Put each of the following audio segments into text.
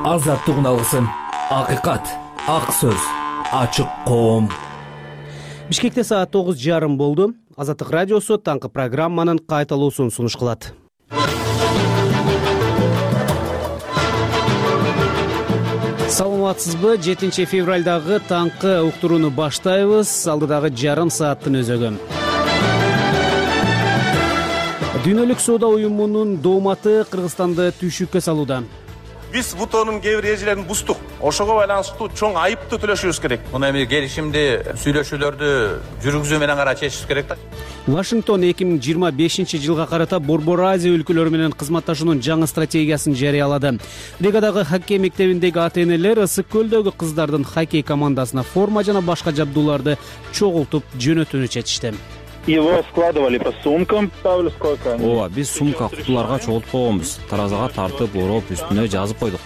Азаттык алгысын, акыйкат, ак сөз, ачык коом. Бишкекте саат 9:30 болду. Азаттык радиосу таңкы программанын кайталуусун сунуш кылат. Саламатсызбы? 7 февралдагы таңкы уктурууну баштайбыз. Алдыдагы жарым сааттын өзөгү. Дүйнөлүк соода уюмунун дооматы Кыргызстанды түйшүккө салууда. Биз ВТОнун кээ бир эрежелерин буздук. Ошого байланыштуу чоң айыпты төлөшүбүз керек. Муну эми келишимди, сүйлөшүүлөрдү жүргүзүү менен гана чечишибиз керек да. Вашингтон 2025-жылга карата Борбор Азия өлкөлөрү менен кызматташуунун жаңы стратегиясын жарыялады. Ригадагы хоккей мектебиндеги ата-энелер Ысык көлдөгү кыздардын хоккей командасына форма жана башка жабдууларды чогултуп жөнөтүүнү чечишти. Его складывали по сумкам, ставили сколько. Ооба, биз сумка кутуларга чогултуп койгонбуз. Таразага тартып, ороп, үстүнө жазып койдук.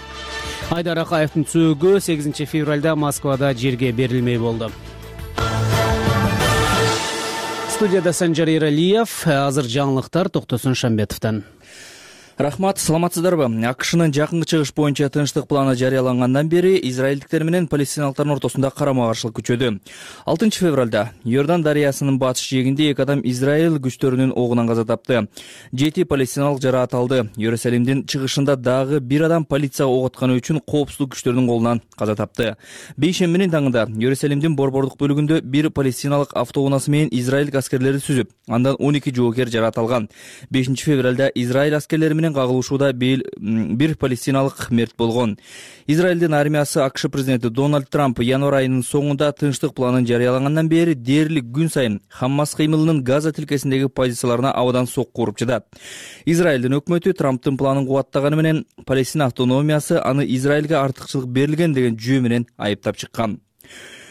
Айдар Акаевдин сөөгү 8 февралда Москвада жерге берилмей болду. Студияда Санжар Эралиев, азыр жаңылыктар Токтосун Шамбетовдон. Рахмат, саламатсыздарбы? АКШнын жакынкы чыгыш боюнча тынчтык планы жарыялангандан бери израилдиктер менен палестиналыктардын ортосунда карама-каршылык күчөдү. 6 февралда Йордан дарыясынын батыш жээгинде 2 адам Израиль күчтөрүнүн огунан каза тапты. 7 палестиналык жараат алды. Иерусалимдин чыгышында дагы 1 адам полицияга ок атканы үчүн коопсуздук күчтөрүнүн колунан каза тапты. Бейшембинин таңында Иерусалимдин борбордук бөлүгүндө 1 палестиналык автоунаасы менен Израиль аскерлери сүзүп, андан 12 жоокер жараат алган. 5 февралда Израиль аскерлери менен кагылышууда бир палестиналык мерт болгон. Израилдин армиясы АКШ президенти Дональд Трамп январь айынын соңунда тынчтык планын жарыялагандан бери дээрлик күн сайын Хаммас кыймылынын Газа тилкесиндеги позицияларына абадан сокку уруп жатат. Израилдин өкмөтү Трамптын планын кубаттаганы менен Палестина автономиясы аны Израилге артыкчылык берилген деген жүйө менен айыптап чыккан.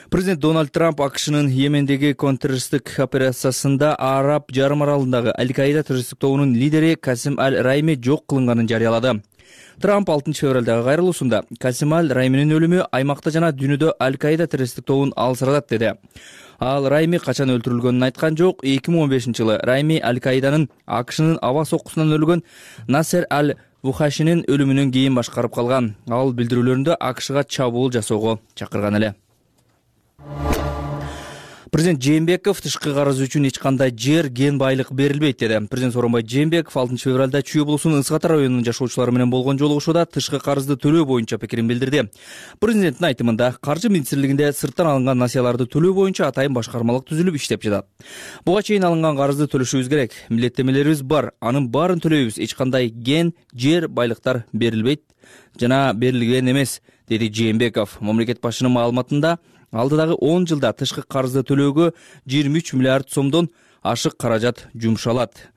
Президент Дональд Трамп АКШнын Йемендеги контртеррористтик операциясында Араб жарым аралындагы Аль-Каида террористтик тобунун лидери Касим Аль-Райми жок кылынганын жарыялады. Трамп 6 февралдагы кайрылуусунда Касим Аль-Райминин өлүмү аймакта жана дүйнөдө Аль-Каида террористтик тобун алсыратат деди. Ал Райми качан өлтүрүлгөнүн айткан жок. 2015-жылы Райми Аль-Каиданын АКШнын аба соккусунан өлгөн Насер Аль-Вухашинин өлүмүнөн кийин башкарып калган. Ал билдирүүлөрүндө АКШга чабуул жасоого чакырган эле. Президент Жээнбеков тышкы карыз үчүн эч кандай жер, кен байлык берилбейт деди. Президент Сооронбай Жээнбеков 6 февралда Чүй облусунун Ысык Ата районунун жашоочулары менен болгон жолугушууда тышкы карызды төлөө боюнча пикирин билдирди. Президенттин айтымында Каржы министрлигинде сырттан алынган насыяларды төлөө боюнча атайын башкармалык түзүлүп иштеп жатат. Буга чейин алынган карызды төлөшүбүз керек. Милдеттемелерибиз бар, анын баарын төлөйбүз. Эч кандай кен, жер, байлыктар берилбейт жана берилген эмес, деди Жээнбеков. Мамлекет башчынын маалыматында алдыдагы 10 жылда тышкы карызды төлөөгө 23 миллиард сомдон ашык каражат жумшалат.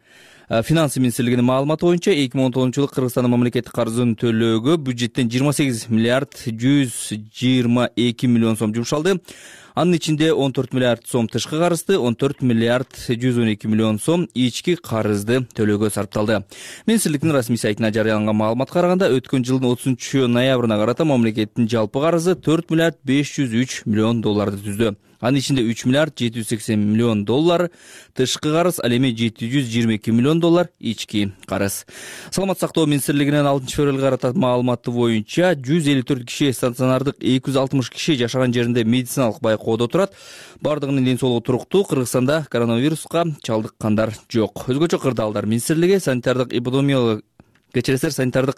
Финансы министрлигинин маалыматы боюнча 2019-жылы Кыргызстандын мамлекеттик карызын төлөөгө бюджеттен 28 миллиард 122 миллион сом жумшалды. Анын ичинде 14 миллиард сом тышкы карызды, 14 миллиард 112 миллион сом ички карызды төлөөгө сарпталды. Министрликтин расмий сайтына жарыяланган маалыматка караганда өткөн жылдын 30 ноябрына карата мамлекеттин жалпы карызы 4 миллиард 503 миллион долларды түздү. Анын ичинде 3 миллиард 780 миллион доллар тышкы карыз, ал эми 722 миллион доллар ички карыз. Саламат сактоо министрлигинин 6 февралга карата маалыматы боюнча 154 киши стационардык, 260 киши жашаган жеринде медициналык байкоодо турат. Бардыгынын ден соолугу туруктуу. Кыргызстанда коронавируска чалдыккандар жок. Өзгөчө кырдаалдар министрлиги санитардык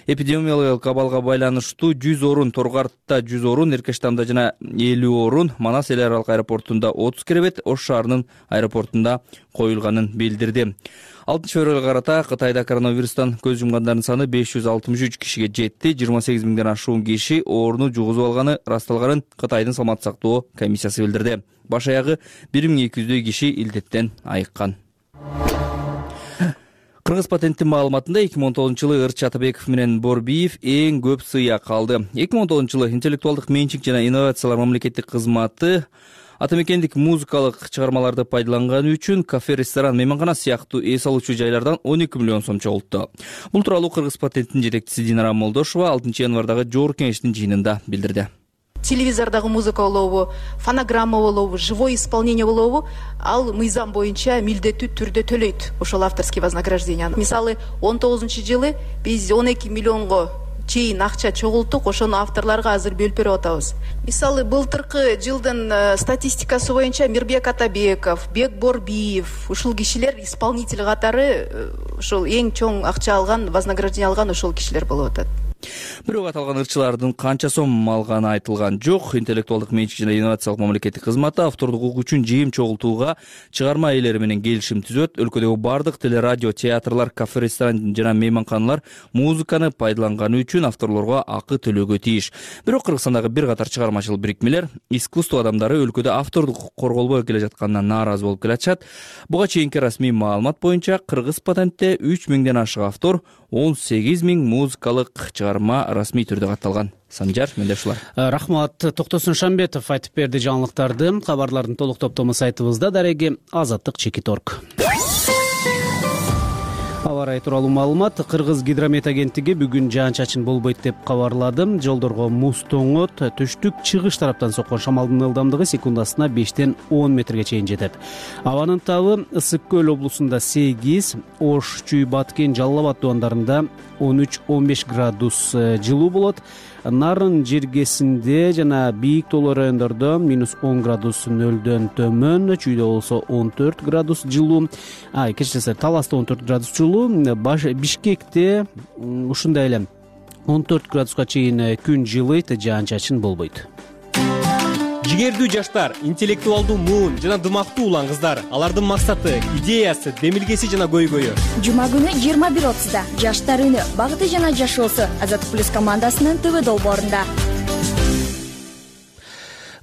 эпидемиологиялык абалга байланыштуу 100 орун, Торгартта 100 орун, Эркештамда жана 50 орун, Манас эл аралык аэропортунда 30 керебет, Ош шаарынын аэропортунда коюлганын билдирди. 6 февралга карата Кытайда коронавирустан көз жумгандардын саны 563 кишиге жетти. 28 миңден ашуун киши ооруну жугузуп алганы ырасталганын Кытайдын саламаттык сактоо комиссиясы билдирди. Баш аягы 1200 киши илдеттен айыккан. Кыргыз патенттин маалыматында 2019-жылы Ырчы Атабеков менен Борбиев эң көп сыйак алды. 2019-жылы интеллектуалдык менчик жана инновациялар мамлекеттик кызматы атамекендик музыкалык чыгармаларды пайдаланганы үчүн кафе, ресторан, мейманкана сыяктуу эс алуучу жайлардан 12 миллион сом чогултту. Бул тууралуу Кыргыз патенттин жетекчиси Динара Молдошова 6 январдагы жогорку кеңештин жыйынында билдирди. телевизордагы музыка болобу, фонограмма болобу, живое исполнение болобу, ал мыйзам боюнча милдеттүү түрдө төлөйт ошол авторский вознаграждение. Мисалы 19-жылы биз 12 миллионго чейин акча чогулттук, ошону авторлорго азыр бөлүп берип атабыз. Мисалы, былтыркы жылдын статистикасы боюнча Мирбек Атабеков, Бек Борбиев ушул кишилер исполнитель катары ошол эң чоң акча алган, вознаграждение алган ошол кишилер болуп атат. Бирок аталган ырчылардын канча сом алганы айтылган жок. Интеллектуалдык менчик жана инновациялык мамлекеттик кызматы автордук укук үчүн жыйым чогултууга чыгарма ээлери менен келишим түзөт. Өлкөдөгү бардык телерадио, театрлар, кафе, ресторан жана мейманканалар музыканы пайдаланганы үчүн авторлорго акы төлөөгө тийиш. Бирок Кыргызстандагы бир катар чыгармачыл бирикмелер искусство адамдары өлкөдө автордук укук корголбой келе жатканынан нааразы болуп келатышат. Буга чейинки расмий маалымат боюнча Кыргыз патентте 3000ден ашык автор, 18000 музыкалык чыгарма расмий түрдө катталган. Санжар, менде ушулар. Рахмат. Токтосун Шамбетов айтып берди жаңылыктарды. Кабарлардын толук топтому сайтыбызда. Дареги Азаттык Чекиторг. Аба ырайы тууралуу маалымат. Кыргыз гидромет агенттиги бүгүн жаан-чачын болбойт деп кабарлады. Жолдорго муз тоңот, түштүк чыгыш тараптан соккон шамалдын ылдамдыгы секундасына 5-тен 10 метрге чейин жетет. Абанын табы Ысык көл облусунда 8, Ош, Чүй, Баткен, Жалал Абад дубандарында 13-15 градус жылуу болот. Нарын жергесинде жана бийик тоолуу райондордо -10 градус нөлдөн төмөн, Чүйдө болсо 14 градус жылуу, кечиресиз Таласта 14 градус жылуу, Бишкекте ушундай эле 14 градуска чейин күн жылыйт, жаан-чачын болбойт. Жигердүү жаштар, интеллектуалдуу муун жана дымактуу улан кыздар. Алардын максаты, идеясы, демилгеси жана көйгөйү. Жума күнү 21:30-да Жаштар үнү, багыты жана жашоосу Азаттык плюс командасынын ТВ долбоорунда.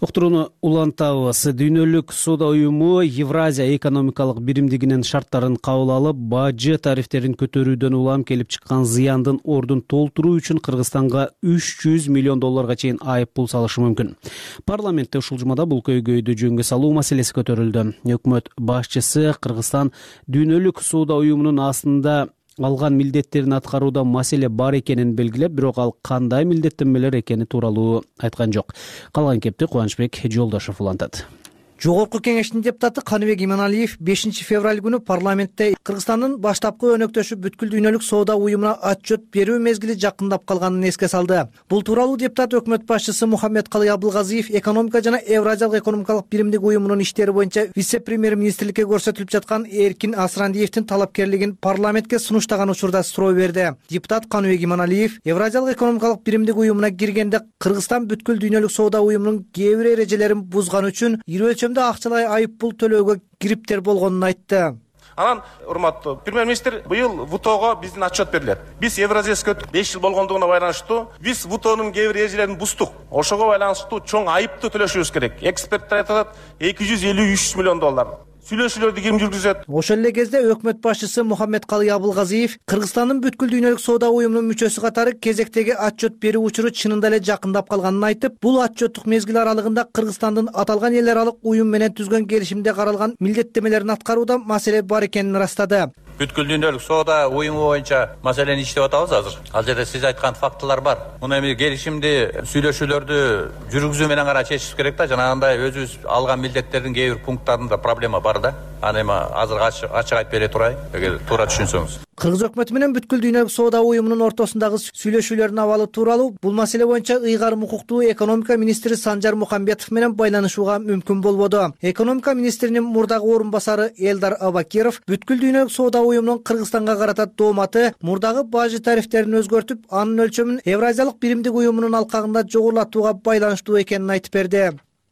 Уктурууну улантабыз. Дүйнөлүк соода уюму Евразия экономикалык биримдигинин шарттарын кабыл алып, бажы тарифтерин көтөрүүдөн улам келип чыккан зыяндын ордун толтуруу үчүн Кыргызстанга $300 миллион чейин айып пул салышы мүмкүн. Парламентте ушул жумада бул көйгөйдү жөнгө салуу маселеси көтөрүлдү. Өкмөт башчысы Кыргызстан дүйнөлүк соода уюмунун астында алган милдеттерин аткарууда маселе бар экенин белгилеп, бирок ал кандай милдеттенмелер экени тууралуу айткан жок. Калган кепти Кубанычбек Жолдошов улантат. Жогорку кеңештин депутаты Каныбек Иманалиев 5 февраль күнү парламентте Кыргызстандын баштапкы өнөктөшү бүткүл дүйнөлүк соода уюмуна отчет берүү мезгили жакындап калганын эске салды. Бул тууралуу депутат өкмөт башчысы Мухаммедкалый Абылгазиев экономика жана Евразиялык экономикалык биримдик уюмунун иштери боюнча вице-премьер-министрликке көрсөтүлүп жаткан Эркин Асрандиевдин талапкерлигин парламентке сунуштаган учурда суроо берди. Депутат Каныбек Иманалиев Евразиялык экономикалык биримдик уюмуна киргенде Кыргызстан бүткүл дүйнөлүк соода уюмунун кээ бир эрежелерин бузган үчүн акчалай айып пул төлөөгө кириптер болгонун айтты. Анан, урматтуу премьер-министр, быйыл ВТОго биздин отчет берилет. Биз Евразияга 5 жыл болгондугуна байланыштуу биз ВТОнун кээ бир эрежелерин буздук. Ошого байланыштуу чоң айыпты төлөшүбүз керек. Эксперттер айтат $253 миллион. Сүйлөшүүлөрдү ким жүргүзөт? Ошол эле кезде өкмөт башчысы Мухаммедкалый Абылгазиев Кыргызстандын бүткүл дүйнөлүк соода уюмунун мүчөсү катары кезектеги отчет берүү учуру чынында эле жакындап калганын айтып, бул отчеттук мезгил аралыгында Кыргызстандын аталган эл аралык уюм менен түзгөн келишимде каралган милдеттенмелерин аткарууда маселе бар экенин ырастады. Бүткүл дүйнөлүк соода уюму боюнча маселени иштеп атабыз азыр. Ал жерде сиз айткан фактылар бар. Муну эми келишимди, сүйлөшүүлөрдү жүргүзүү менен гана чечиш керек да. Жанагындай өзүбүз алган милдеттердин кээ бир пункттарында проблема бар да. Аны эми азыр ачык айтып бере турайын, эгер туура түшүнсөңүз. Кыргыз өкмөтү менен бүткүл дүйнөлүк соода уюмунун ортосундагы сүйлөшүүлөрдүн абалы тууралуу бул маселе боюнча ыйгарым укуктуу экономика министри Санжар Мухамбетов менен байланышууга мүмкүн болбоду. Экономика министринин мурдагы орун басары Элдар Абакиров бүткүл дүйнөлүк соода уюмунун Кыргызстанга карата дооматы мурдагы бажы тарифтерин өзгөртүп, анын өлчөмүн Евразиялык биримдик уюмунун алкагында жогорулатууга байланыштуу экенин айтып берди.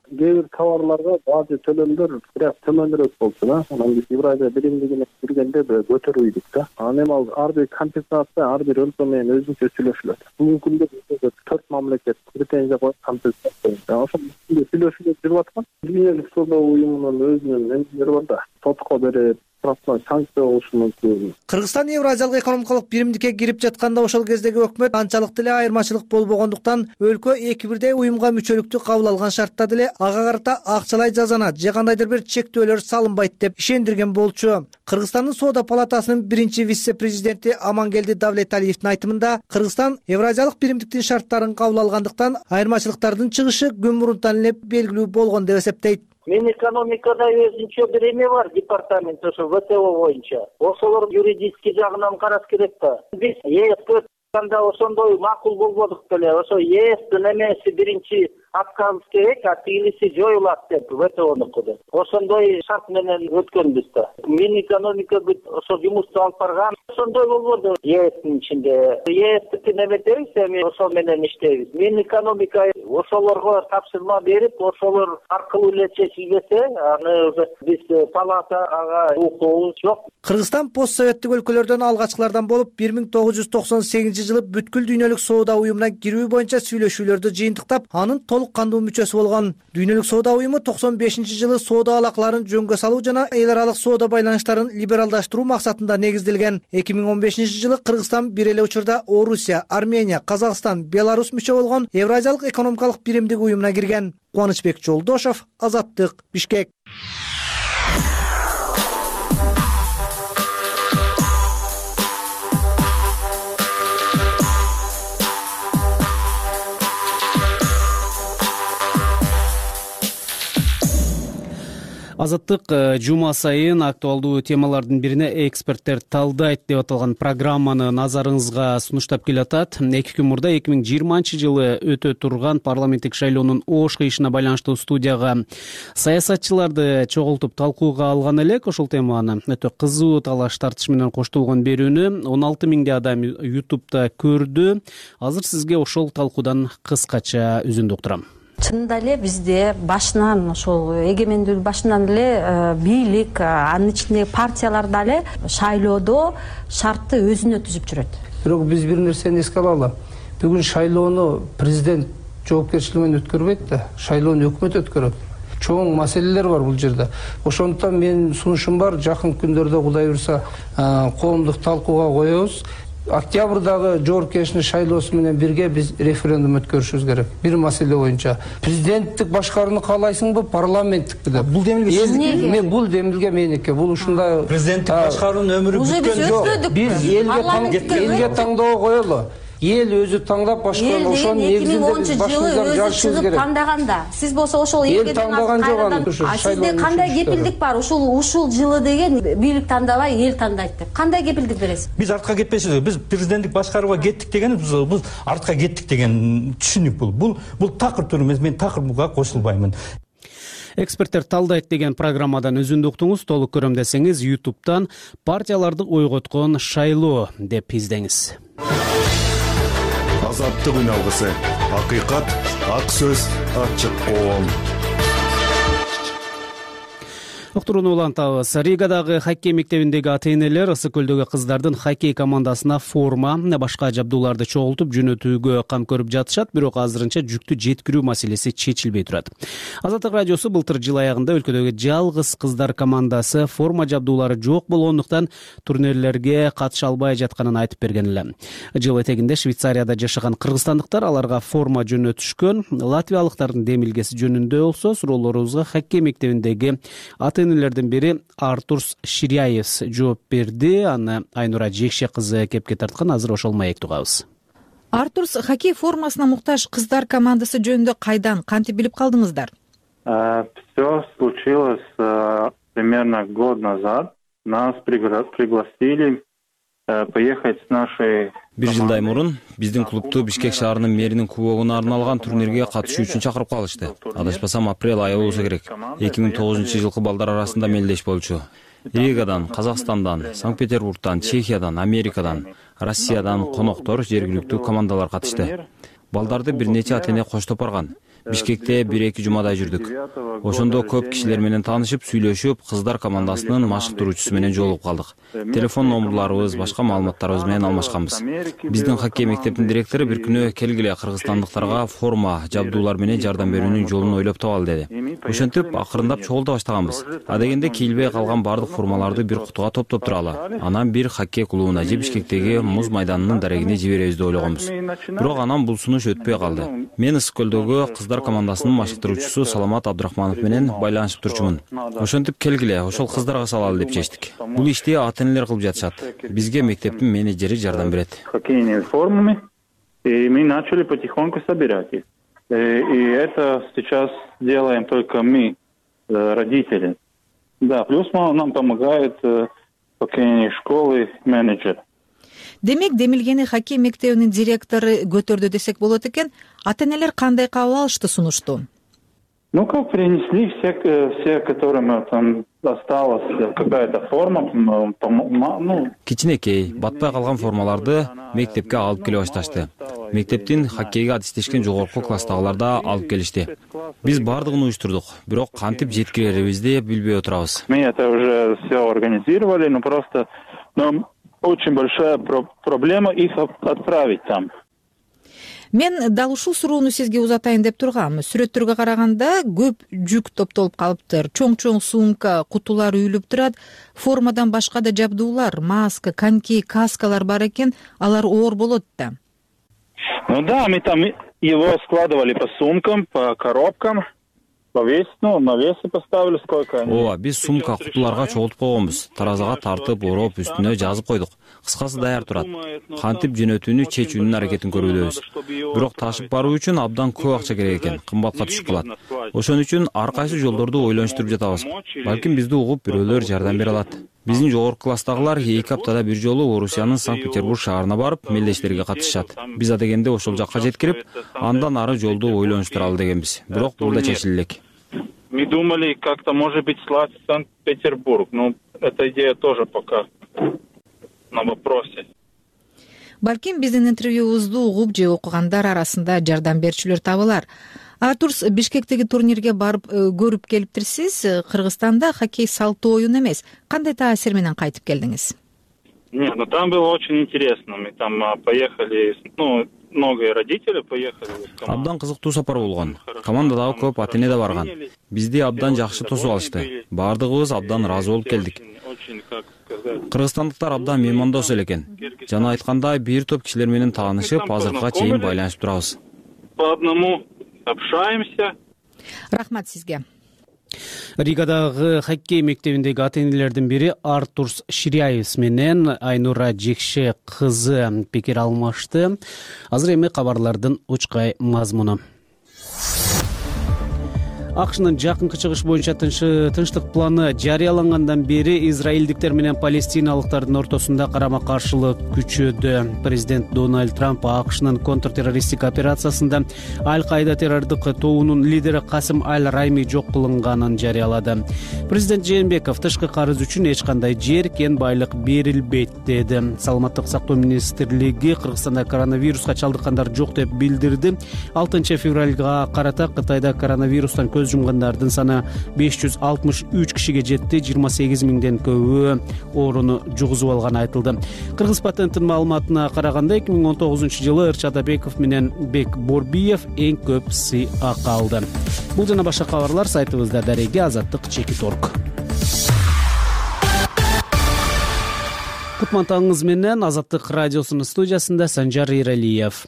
Кээ бир товарларга бажы төлөмдөр бирок төмөнүрөөк болчу да. Анан биз Евразия биримдигине киргенде көтөрүйдүк да. Анан эми ал ар бир компенсация ар бир өлкө менен өзүнчө сүйлөшүлөт. Бүгүнкү күндө 4 мамлекет претензия коюп компенсация. Ошол сүйлөшүүлөр жүрүп аткан. Дүйнөлүк соода уюмунун өзүнүн эмелери бар да. Сотко берип санкция болушу мүмкүн. Кыргызстан Евразиялык экономикалык биримдикке кирип жатканда ошол кездеги өкмөт анчалык эле айырмачылык болбогондуктан өлкө эки бирдей уюмга мүчөлүктү кабыл алган шартта деле ага карата акчалай жазана же кандайдыр бир чектөөлөр салынбайт деп ишендирген болчу. Кыргызстандын соода палатасынын биринчи вице-президенти Амангелди Давлеталиевдин айтымында Кыргызстан Евразиялык биримдиктин шарттарын кабыл алгандыктан айырмачылыктардын чыгышы күн мурунтан эле белгилүү болгон деп эсептейт. Мен экономикада өзүнчө бир эме бар департамент ошо ВТО боюнча. Ошолор юридический жагынан караш керек да. Биз Анда ошондой макул болбодук беле. Ошо ЕСтин эмеси биринчи аткарылыш керек, а тигилиси жоюлат деп ВТОнуку деп. Ошондой шарт менен өткөнбүз да. Минэкономика бүт ошо жумушту алып барган. Ошондой болбоду ЕСтин ичинде. ЕСтики неметебиз, эми ошол менен иштейбиз. Минэкономика ошолорго тапшырма берип, ошолор аркылуу эле чечилбесе, аны уже биз палатага укугубуз жок. Кыргызстан постсоветтик өлкөлөрдөн алгачкылардан болуп 1998-жылы бүткүл дүйнөлүк соода уюмуна кирүү боюнча сүйлөшүүлөрдү жыйынтыктап, анын толук кандуу мүчөсү болгон. Дүйнөлүк соода уюму 95-жылы соода алакаларын жөнгө салуу жана эл аралык соода байланыштарын либералдаштыруу максатында негизделген. 2015-жылы Кыргызстан бир эле учурда Орусия, Армения, Казакстан, Беларусь мүчө болгон Евразиялык экономикалык биримдик уюмуна кирген. Кубанычбек Жолдошов, Азаттык, Бишкек. Азаттык жума сайын актуалдуу темалардын бирине эксперттер талдайт деп аталган программаны назарыңызга сунуштап келатат. 2 күн мурда 2020-жылы өтө турган парламенттик шайлоонун ош кыйышына байланыштуу студияга саясатчыларды чогултуп талкууга алган элек. Ошол теманы өтө кызуу талаш тартыш менен коштолгон берүүнү 16 миңдей адам YouTube'да көрдү. Азыр сизге ошол талкуудан кыскача үзүндү уктурам. Чынында эле бизде башынан ошол эгемендүүлүк башынан эле бийлик, анын ичиндеги партиялар дагы шайлоодо шартты өзүнө түзүп жүрөт. Бирок биз бир нерсени эске алалы. Бүгүн шайлоону президент жоопкерчилиги менен өткөрбөйт да, шайлоону өкмөт өткөрөт. Чоң маселелер бар бул жерде. Ошондуктан менин сунушум бар, жакын күндөрдө Кудай буйрса коомдук талкууга коебуз. Октябрдагы жоопкерчилик шайлоосу менен бирге биз референдум өткөрүшүбүз керек. Бир маселе боюнча. Президенттик башкарууну каалайсыңбы, парламенттикпи деп. Бул демилге сиздики? Мен бул демилге меники. Бул ушундай президенттик башкаруунун өмүрү бүткөн жок. Биз элге таңдоого коелу. Эл өзү таңдап башкаруу, ошонун негизинде биз башыбыздан жарышыбыз керек. Тандаганда, сиз болсо ошол элге тандаган жок. Сизде кандай кепилдик бар? Ушул жылы деген бийлик тандабай, эл тандайт деп. Кандай кепилдик бересиз? Биз артка кетпейбиз. Биз президенттик башкарууга кеттик дегенибиз, бул артка кеттик деген түшүнүк бул. Бул такыр тур эмес, мен такыр буга кошулбаймын. Эксперттер талдайт деген программадан үзүндү уктуңуз. Толук көрөм десеңиз YouTube'дан партияларды ойготкон шайлоо деп издеңиз. Азаттык үн алгысы. Акыйкат, ак сөз, ачык коом. Уктурууну улантабыз. Ригадагы хоккей мектебиндеги ата-энелер Ысык көлдөгү кыздардын хоккей командасына форма, башка жабдууларды чогултуп жөнөтүүгө кам көрүп жатышат, бирок азырынча жүктү жеткирүү маселеси чечилбей турат. Азаттык радиосу былтыр жыл аягында өлкөдөгү жалгыз кыздар командасы форма жабдуулары жок болгондуктан турнирлерге катыша албай жатканын айтып берген эле. Жыл этегинде Швейцарияда жашаган кыргызстандыктар аларга форма жөнөтүшкөн. Латвиялыктардын демилгеси жөнүндө болсо суроолорубузга хоккей мектебиндеги ата-энелердин бири Артурс Ширяевс жооп берди. Аны Айнура Жекше кызы кепке тарткан. Азыр ошол маекти угабыз. Артурс хоккей формасына муктаж кыздар командасы жөнүндө кайдан, кантип билип калдыңыздар? Все случилось примерно год назад. Нас пригласили поехать с нашей... Бир жылдай мурун биздин клубту Бишкек шаарынын мэринин кубогуна арналган турнирге катышуу үчүн чакырып калышты. Адашпасам апрель айы болсо керек. 2009-жылкы балдар арасында мелдеш болчу. Ригадан, Казакстандан, Санкт-Петербургдан, Чехиядан, Америкадан, Россиядан коноктор, жергиликтүү командалар катышты. Балдарды бир нече ата-эне коштоп барган. Бишкекте 1-2 жумадай жүрдүк. Ошондо көп кишилер менен таанышып, сүйлөшүп, кыздар командасынын машыктыруучусу менен жолугуп калдык. Телефон номерларыбыз, башка маалыматтарыбыз менен алмашканбыз. Биздин хоккей мектептин директору бир күнү келгиле кыргызстандыктарга форма, жабдуулар менен жардам берүүнүн жолун ойлоп табалы деди. Ошентип акырындап чогулта баштаганбыз. Адегенде кийилбей калган бардык формаларды бир кутуга топтоп туралы. Анан бир хоккей клубуна же Бишкектеги муз майданынын дарегине жиберебиз деп ойлогонбуз. Бирок анан бул сунуш өтпөй калды. Мен Ысык көлдөгү кыздар командасынын машыктыруучусу Саламат Абдрахманов менен байланышып турчумун. Ошентип келгиле, ошол кыздарга салалы деп чечтик. Бул ишти ата-энелер кылып жатышат. Бизге мектептин менеджери жардам берет. Хоккейными формами, и мы начали потихоньку собирать их. И это сейчас делаем только мы, родители. Да, плюс нам помогает хоккейные школы менеджер. Демек демилгени хоккей мектебинин директору көтөрдү десек болот экен. Ата энелер кандай кабыл алышты сунушту? Ну, как принесли все, которым там осталась какая-то форма, кичинекей, батпай калган формаларды мектепке алып келе башташты. Мектептин хоккейге адистешкен жогорку класстагылар да алып келишти. Биз бардыгын уюштурдук, бирок кантип жеткирерибизди билбей отурабыз. Мы это уже все организировали, но просто очень большая проблема их отправить там. Мен дал ушул суроону сизге узатайын деп тургам. Сүрөттөргө караганда көп жүк топтолуп калыптыр. Чоң сумка, кутулар үйүлүп турат. Формадан башка да жабдуулар, маска, коньки, каскалар бар экен. Алар оор болот да. Ну да, мы там его складывали по сумкам, по коробкам. На весы поставили, сколько они. Ооба, биз сумка, кутуларга чогултуп койгонбуз. Таразага тартып, ороп, үстүнө жазып койдук. Кыскасы даяр турат. Кантип жөнөтүүнү чечүүнүн аракетин көрүлөбүз. Бирок ташып баруу үчүн абдан көп акча керек экен, кымбатка түшүп калат. Ошон үчүн ар кайсы жолдорду ойлонуштуруп жатабыз. Балким бизди угуп бирөөлөр жардам бере алат. Биздин жогорку класстагылар 2 аптада бир жолу Орусиянын Санкт-Петербург шаарына барып, мелдештерге катышат. Биз адегенде ошол жакка жеткирип, андан ары жолду ойлонуштуралы дегенбиз. Бирок бул да чечиле элек. Мы думали, как-то, может быть, слать в Санкт-Петербург, но эта идея тоже пока на вопросе. Балким биздин интервьюбузду угуп же окугандар арасында жардам берүүчүлөр табылар. Артурс, Бишкектеги турнирге барып көрүп келиптирсиз. Кыргызстанда хоккей салттуу оюн эмес. Кандай таасир менен кайтып келдиңиз? Нет, ну там было очень интересно. Мы там поехали, многие родители поехали. Абдан кызыктуу сапар болгон. Командадагы көп ата эне да барган. Бизди абдан жакшы тосуп алышты. Бардыгыбыз абдан ыраазы болуп келдик. Кыргызстандыктар абдан меймандос эле экен. Жана айткандай, бир топ кишилер менен таанышып, азыркыга чейин байланышып турабыз. По одному общаемся. Рахмат сизге. Ригадагы хоккей мектебиндеги ата энелердин бири Артурс Ширяев менен Айнура Жекше кызы пикир алмашты. Азыр эми кабарлардын учкай мазмуну. АКШнын жакынкы чыгыш боюнча тынчтык планы жарыялангандан бери израилдиктер менен палестиналыктардын ортосунда карама каршылык күчөдү. Президент Дональд Трамп АКШнын контртеррористтик операциясында Аль-Каида террордук тобунун лидери Касым Аль-Райми жок кылынганын жарыялады. Президент Жээнбеков тышкы карыз үчүн эч кандай жер, кен, байлык берилбейт деди. Саламаттык сактоо министрлиги Кыргызстанда коронавируска чалдыккандар жок деп билдирди. 6 февралга карата Кытайда коронавирустан көз жумгандардын саны 563 кишиге жетти. 28 миңден көбү ооруну жугузуп алганы айтылды. Кыргыз патенттин маалыматына караганда 2019 Ырча Атабеков менен Бек Борбиев эң көп сый акы алды. Бул жана башка кабарлар сайтыбызда дареги azatlyk.org. Кутмантаңыз менен Азаттык радиосунун студиясында Санжар Иралиев.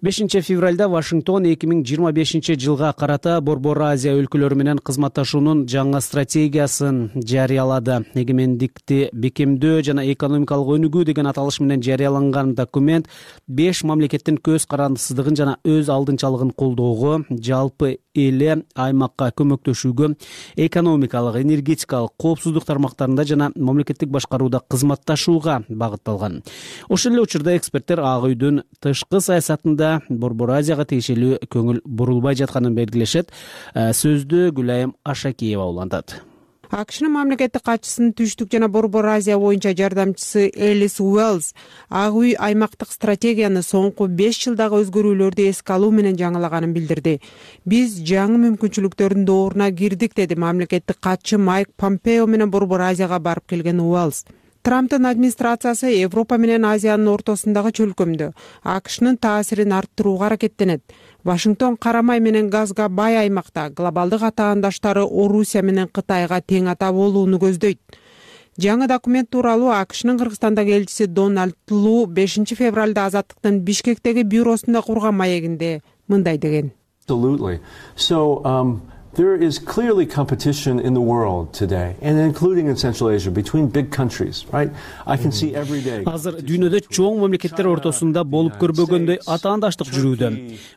5 февралда Вашингтон 2025 жылга карата Борбор Азия өлкөлөрү менен кызматташуунун жаңы стратегиясын жарыялады. Эгемендикти бекемдөө жана экономикалык өнүгүү деген аталыш менен жарыяланган документ 5 мамлекеттин көз карандысыздыгын жана өз алдынчалыгын колдоого, жалпы эле аймакка көмөктөшүүгө, экономикалык, энергетикалык, коопсуздук тармактарында жана мамлекеттик башкарууда кызматташууга багытталган. Ошол эле учурда эксперттер Ак үйдүн тышкы саясатында Борбор Азияга тиешелүү көңүл бурулбай жатканын белгилешет. Сөздү Гүлайым Ашакиева улантат. АКШнын мамлекеттик катчысынын Түштүк жана Борбор Азия боюнча жардамчысы Элис Уэллс Ак үй аймактык стратегияны соңку 5 жылдагы өзгөрүүлөрдү эске алуу менен жаңылаганын билдирди. Биз жаңы мүмкүнчүлүктөрдүн дооруна кирдик, деди мамлекеттик катчы Майк Помпео менен Борбор Азияга барып келген Уэллс. Трамптын администрациясы Европа менен Азиянын ортосундагы чөлкөмдө АКШнын таасирин арттырууга аракеттенет. Вашингтон карамай менен газга бай аймакта глобалдык атаандаштары Орусия менен Кытайга тең ата болууну көздөйт. Жаңы документ тууралуу АКШнын Кыргызстандагы элчиси Дональд Лу 5 февралда Азаттыктын Бишкектеги бюросунда курган маегинде мындай деген. There is clearly competition in the world today, and including in Central Asia, between big countries, right? I can see every day. Азыр дүйнөдө чоң мамлекеттер ортосунда болуп көрбөгөндөй атаандаштык жүрүүдө.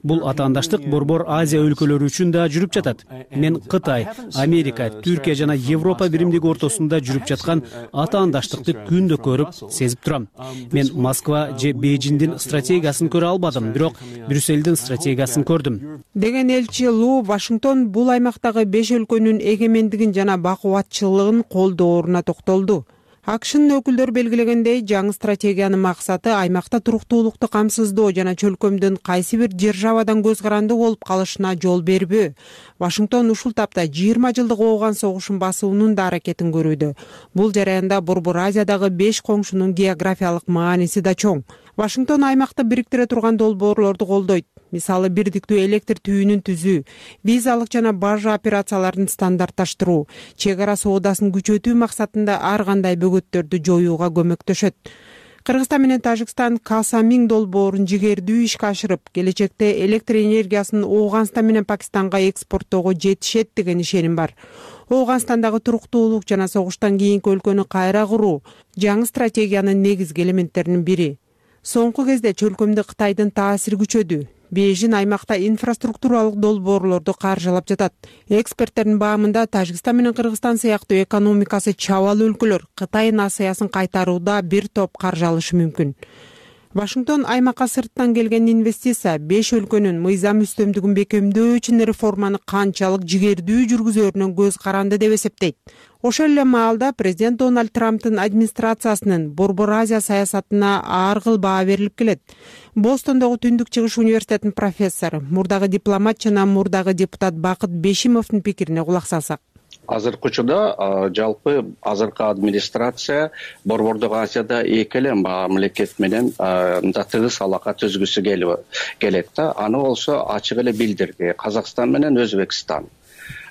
Бул атаандаштык Борбор Азия өлкөлөрү үчүн да жүрүп жатат. Мен Кытай, Америка, Түркия жана Европа биримдиги ортосунда жүрүп жаткан атаандаштыкты күндө көрүп, сезип турам. Мен Москва же Бейжиңдин стратегиясын көрө албадым, бирок Брюссельдин стратегиясын көрдүм. Деген элчи Лу Вашингтон бул аймактагы 5 өлкөнүн эгемендигин жана бакубатчылыгын колдооруна токтолду. АКШнын өкүлдөрү белгилегендей, жаңы стратегиянын максаты аймакта туруктуулукту камсыздоо жана чөлкөмдүн кайсы бир державадан көз каранды болуп калышына жол бербөө. Вашингтон ушул тапта 20 жылдык ооган согушун басуунун да аракетин көрүүдө. Бул жараянда Борбор Азиядагы 5 коңшунун географиялык мааниси да чоң. Вашингтон аймакты бириктире турган долбоорлорду колдойт. Мисалы, бирдиктүү электр түйүнүн түзүү, визалык жана бажа операцияларын стандартташтыруу, чек ара соодасын күчөтүү максатында ар кандай бөгөттөрдү жоюуга көмөктөшөт. Кыргызстан менен Тажикстан Касамин долбоорун жигердүү ишке ашырып, келечекте электр энергиясын Ооганстан менен Пакистанга экспорттоого жетишет деген ишеним бар. Ооганстандагы туруктуулук жана согуштан кийинки өлкөнү кайра куруу жаңы стратегиянын негизги элементтеринин бири. Соңку кезде чөлкөмдө Кытайдын таасири күчөдү. Бейжин аймакта инфраструктуралык долбоорлорду каржылап жатат. Эксперттердин баамында Тажикстан менен Кыргызстан сыяктуу экономикасы чабал өлкөлөр Кытайдын асаясын кайтарууда бир топ каржы алышы мүмкүн. Вашингтон аймакка сырттан келген инвестиция 5 өлкөнүн мыйзам үстөмдүгүн бекемдөө үчүн реформаны канчалык жигердүү жүргүзөрүнөн көз каранды деп эсептейт. Ошол эле маалда президент Дональд Трамптын администрациясынын Борбор Азия саясатына ар кыл баа берилип келет. Бостондогу Түндүк Чыгыш университетинин профессору, мурдагы дипломат жана мурдагы депутат Бакыт Бешимовдун пикирине кулак салсак. Азыркы учурда жалпы азыркы администрация Борбордук Азияда эки эле мамлекет менен тыгыз алака түзгүсү келет да. Аны болсо ачык эле билдирди. Казакстан менен Өзбекстан.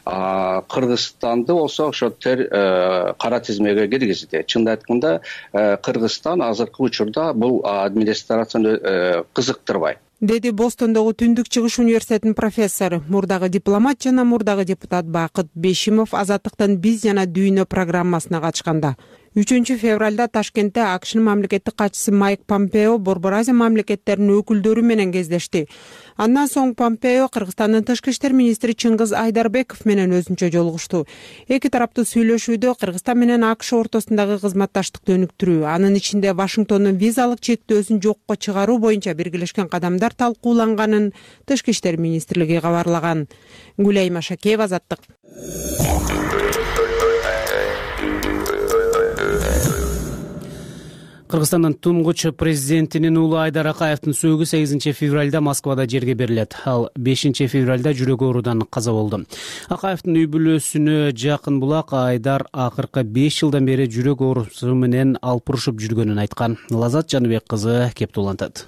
Кыргызстанды болсо ошо кара тизмеге киргизди. Чынын айтканда, Кыргызстан азыркы учурда бул администрацияны кызыктырбайт, деди Бостондогу Түндүк Чыгыш университетинин профессору, мурдагы дипломат жана мурдагы депутат Бакыт Бешимов Азаттыктын биз жана дүйнө программасына катышканда. 3 февралда Ташкентте АКШнын мамлекеттик катчысы Майк Помпео Борбор Азия мамлекеттеринин өкүлдөрү менен кездешти. Андан соң Помпео Кыргызстандын тышкы иштер министри Чыңгыз Айдарбеков менен өзүнчө жолугушту. Эки тараптуу сүйлөшүүдө Кыргызстан менен АКШ ортосундагы кызматташтыкты өнүктүрүү, анын ичинде Вашингтондун визалык чектөөсүн жокко чыгаруу боюнча биргелешкен кадамдар талкууланганын тышкы иштер министрлиги кабарлаган. Гүлайым Ашакеева, Азаттык. Кыргызстандын туңгуч президентинин уулу Айдар Акаевдин сөөгү 8 февралда Москвада жерге берилет. Ал 5 февралда жүрөк оорудан каза болду. Акаевдин үй бүлөсүнө жакын булак Айдар акыркы 5 жылдан бери жүрөк оорусу менен алпурушуп жүргөнүн айткан. Лазат Жаныбек кызы кеп улантат.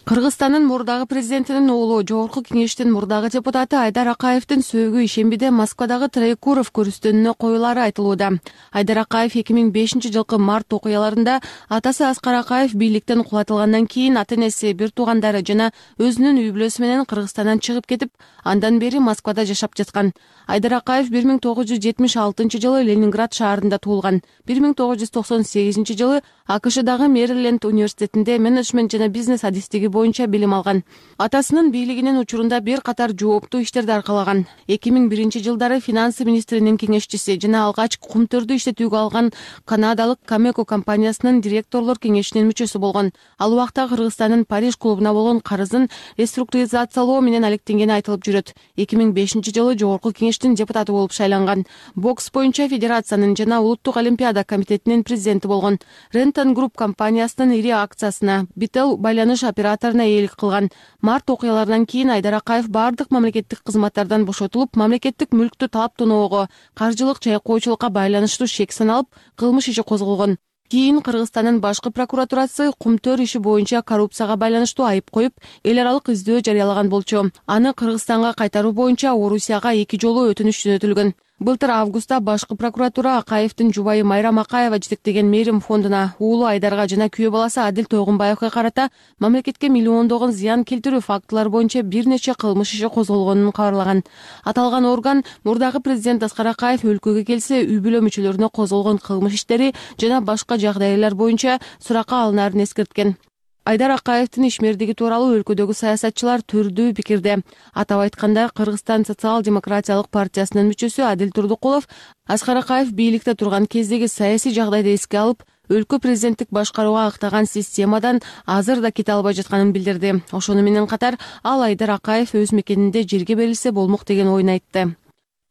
Кыргызстандын мурдагы президентинин уулу, Жогорку Кеңештин мурдагы депутаты Айдар Акаевдин сөөгү ишембиде Москвадагы Троекуров көрүстөнүнө коюлары айтылууда. Айдар Акаев 2005 жылкы март окуяларында атасы Аскар Акаев бийликтен кулатылгандан кийин ата-энеси, бир туугандары жана өзүнүн үй бүлөсү менен Кыргызстандан чыгып кетип, андан бери Москвада жашап жаткан. Айдар Акаев 1976 жылы Ленинград шаарында туулган. 1998 жылы АКШдагы Мэриленд университетинде менеджмент жана бизнес адистиги боюнча билим алган. Атасынын бийлигинин учурунда бир катар жооптуу иштерди аркалаган. 2001 жылдары финанс министринин кеңешчиси жана алгач кумтөрдү иштетүүгө алган канадалык Камеко компаниясынын директорлор кеңешинин мүчөсү болгон. Ал убакта Кыргызстандын Париж клубуна болгон карызын реструктуризациялоо менен алектенгени айтылып жүрөт. 2005 жылы Жогорку Кеңештин депутаты болуп шайланган. Бокс боюнча федерациянын жана улуттук олимпиада комитетинин президенти болгон. Рентон Групп компаниясынын ири акциясына Бител байланыш операторуна ээлик кылган. Март окуяларынан кийин Айдар Акаев бардык мамлекеттик кызматтардан бошотулуп, мамлекеттик мүлктү талап тоноого, каржылык чайкоочулукка байланыштуу шек саналып, кылмыш иши козголгон. Кийин Кыргызстандын башкы прокуратурасы кумтөр иши боюнча коррупцияга байланыштуу айып коюп, эл аралык издөө жарыялаган болчу. Аны Кыргызстанга кайтаруу боюнча Орусияга 2 жолу өтүнүч жөнөтүлгөн. Былтыр августта башкы прокуратура Акаевдин жубайы Майрам Акаева жетектеген мээрим фондуна уулу Айдарга жана күйөө баласы Адил Тойгунбаевга карата мамлекетке миллиондогон зыян келтирүү фактылары боюнча бир нече кылмыш иши козголгонун кабарлаган. Аталган орган мурдагы президент Аскар Акаев өлкөгө келсе үй бүлө мүчөлөрүнө козголгон кылмыш иштери жана башка жагдайлар боюнча суракка алынаарын эскерткен. Айдар Акаевдин ишмердиги тууралуу өлкөдөгү саясатчылар түрдүү пикирде. Атап айтканда, Кыргызстан социал-демократиялык партиясынын мүчөсү Адил Турдукулов Аскар Акаев бийликте турган кездеги саясий жагдайды эске алып, өлкө президенттик башкарууга актаган системадан азыр да кете албай жатканын билдирди. Ошону менен катар ал Айдар Акаев өз мекенинде жерге берилсе болмок деген оюн айтты.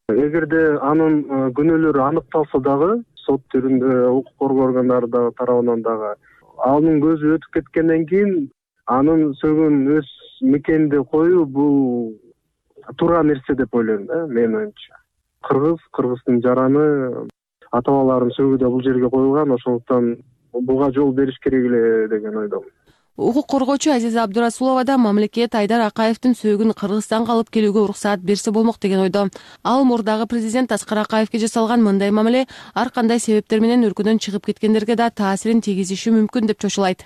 Эгерде анын күнөөлөрү аныкталса дагы, сот түрүндө укук коргоо органдары тарабынан дагы анын көзү өтүп кеткенден кийин анын сөгүн өз мекенинде коюу бул туура нерсе деп ойлойм да, менин оюмча. Кыргыздын жараны ата-бабаларын сөгүүдө бул жерге коюлган, ошондуктан буга жол бериш керек эле деген ойдомун. Укук коргоочу Азиза Абдурасулова да мамлекет Айдар Акаевдин сөөгүн Кыргызстанга алып келүүгө уруксаат берсе болмок деген ойдо. Ал мурдагы президент Аскар Акаевге жасалган мындай мамиле ар кандай себептер менен өлкөдөн чыгып кеткендерге да таасирин тийгизиши мүмкүн деп чочулайт.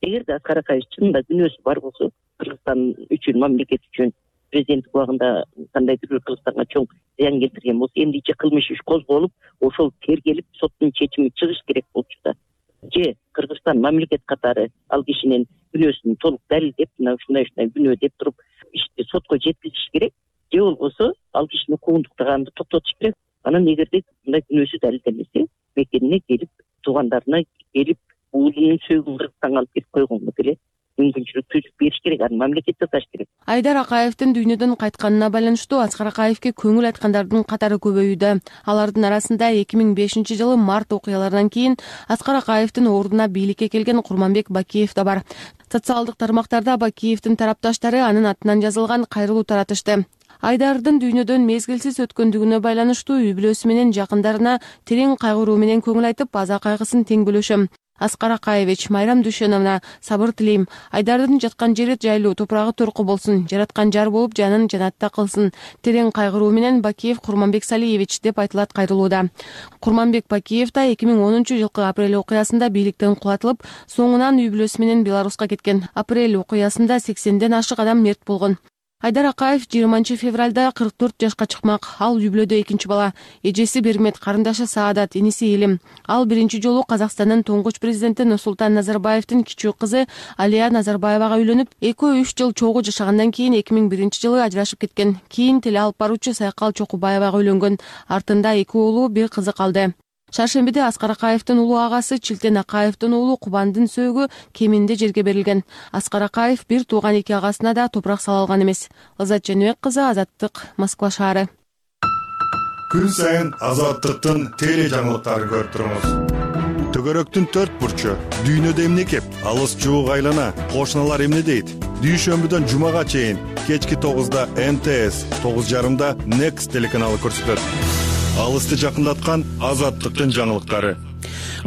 Эгерде Аскар Акаев чынында күнөөсү бар болсо, Кыргызстан үчүн, мамлекет үчүн президенттик убагында кандайдыр бир Кыргызстанга чоң зыян келтирген болсо, эмдиче кылмыш иш козголуп, ошол тергелип, соттун чечими чыгыш керек болчу да. Же Кыргызстан мамлекет катары ал кишинин күнөөсүн толук далилдеп, мына ушундай күнөө деп туруп ишти сотко жеткизиш керек. Же болбосо ал кишини куугунтуктаганды токтотуш керек. Анан эгерде мындай күнөөсү далилденбесе, мекенине келип, туугандарына келип, уулунун сөөгүн Кыргызстанга алып келип койгонго деле мүмкүнчүлүк түзүп бериш керек, аны мамлекет жасаш керек. Айдар Акаевдин дүйнөдөн кайтканына байланыштуу Аскар Акаевге көңүл айткандардын катары көбөйүүдө. Алардын арасында 2005 жылы март окуяларынан кийин Аскар Акаевдин ордуна бийликке келген Курманбек Бакиев да бар. Социалдык тармактарда Бакиевдин тарапташтары анын атынан жазылган кайрылуу таратышты. Айдардын дүйнөдөн мезгилсиз өткөндүгүнө байланыштуу үй бүлөсү менен жакындарына терең кайгыруу менен көңүл айтып, аза кайгысын тең бөлүшөм. Аскар Акаевич, Майрам Дүйшеновна сабыр тилейм. Айдардын жаткан жери жайлуу, топурагы торку болсун, жараткан жар болуп жанын жанатта кылсын. Терең кайгыруу менен Бакиев Курманбек Салиевич деп айтылат кайрылууда. Курманбек Бакиев да 2010 жылкы апрель окуясында бийликтен кулатылып, соңунан үй бүлөсү менен Беларуска кеткен. Апрель окуясында 80ден ашык адам мерт болгон. Айдар Акаев 20 февралда 44 жашка чыкмак. Ал үй бүлөдө экинчи бала. Эжеси Бермет, карындашы Саадат, иниси Элим. Ал биринчи жолу Казакстандын туңгуч президенти Нурсултан Назарбаевдин кичүү кызы Алия Назарбаевага үйлөнүп, 2-3 жыл чогуу жашагандан кийин 2001 жылы ажырашып кеткен. Кийин теле алып баруучу Сайкал Чокубаевага үйлөнгөн. Артында 2 уулу, 1 кызы калды. Шаршембиде Аскар Акаевдин улуу агасы Чилтен Акаевдин уулу Кубандын сөөгү кеминде жерге берилген. Аскар Акаев бир тууган 2 агасына да топурак сала алган эмес. Лаззат Женебек кызы, Азаттык, Москва шаары. Күн сайын Азаттыктын теле жаңылыктарын көрүп туруңуз. Төгөрөктүн 4 бурчу, дүйнөдө эмне кеп, алыс жуук айлана, кошуналар эмне дейт? Дүйшөмбүдөн жумага чейин кечки 9да МТС, 9:30да Next телеканалы көрсөтөт. Алысты жакындаткан Азаттыктын жаңылыктары.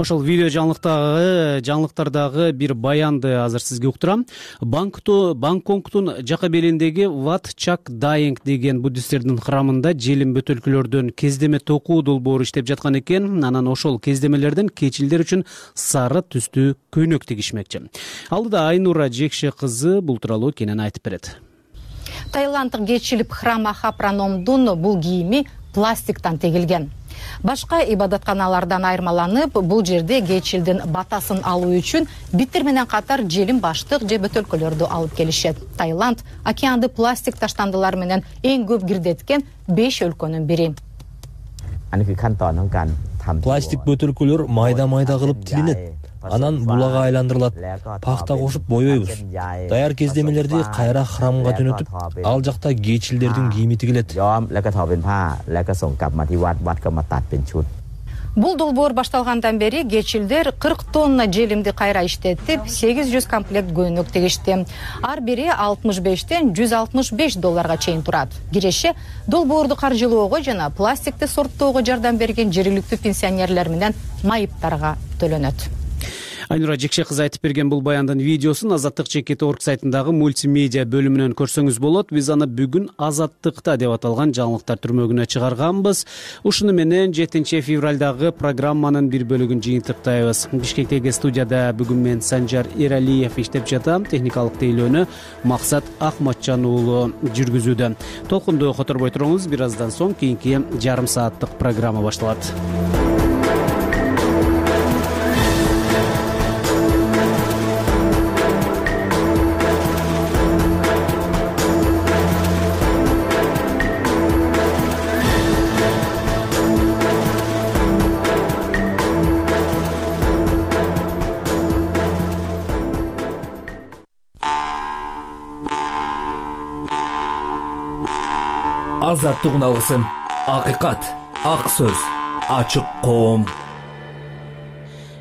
Ошол видео жаңылыктардагы бир баянды азыр сизге уктурам. Бангкоктун жака белиндеги Wat Chak Dayeng деген буддисттердин храмында желим бөтөлкөлөрдөн кездеме токуу долбоору иштеп жаткан экен. Анан ошол кездемелерден кечилдер үчүн сары түстүү көйнөк тигишмекчи. Алдыда Айнура Жекше кызы бул тууралуу кенен айтып берет. Таиланддык кечилип храм Ахапраномдун бул кийими пластиктан тегилген. Башка ибадатканалардан айырмаланып, бул жерде кечилдин батасын алуу үчүн биттер менен катар желим баштык же бөтөлкөлөрдү алып келишет. Таиланд океанды пластик таштандылар менен эң көп кирдеткен 5 өлкөнүн бири. Пластик бөтөлкөлөр майда-майда кылып тилинет. Анан булага айландырылат. Пахта кошуп боёйбуз. Даяр кездемелерди кайра храмга жөнөтүп, ал жакта кечилдердин кийими тигилет. Бул долбоор башталгандан бери кечилдер 40 тонна желимди кайра иштетип, 800 комплект көйнөк тигишти. Ар бири $65 $165 чейин турат. Киреше долбоорду каржылоого жана пластикти сорттоого жардам берген жергиликтүү пенсионерлер менен майыптарга төлөнөт. Айнура Жекше кызы айтып берген бул баяндын видеосун Азаттык.org сайтындагы мультимедиа бөлүмүнөн көрсөңүз болот. Биз аны бүгүн Азаттыкта деп аталган жаңылыктар түрмөгүнө чыгарганбыз. Ушуну менен 7 февралдагы программанын бир бөлүгүн жыйынтыктайбыз. Бишкектеги студияда бүгүн мен Санжар Эралиев иштеп жатам. Техникалык тейлөөнү Максат Акматжан уулу жүргүзүүдө. Толкунду которбой туруңуз. Бир аздан соң кийинки жарым сааттык программа башталат. Азаттык уналгысын, акыйкат, ак сөз, ачык коом.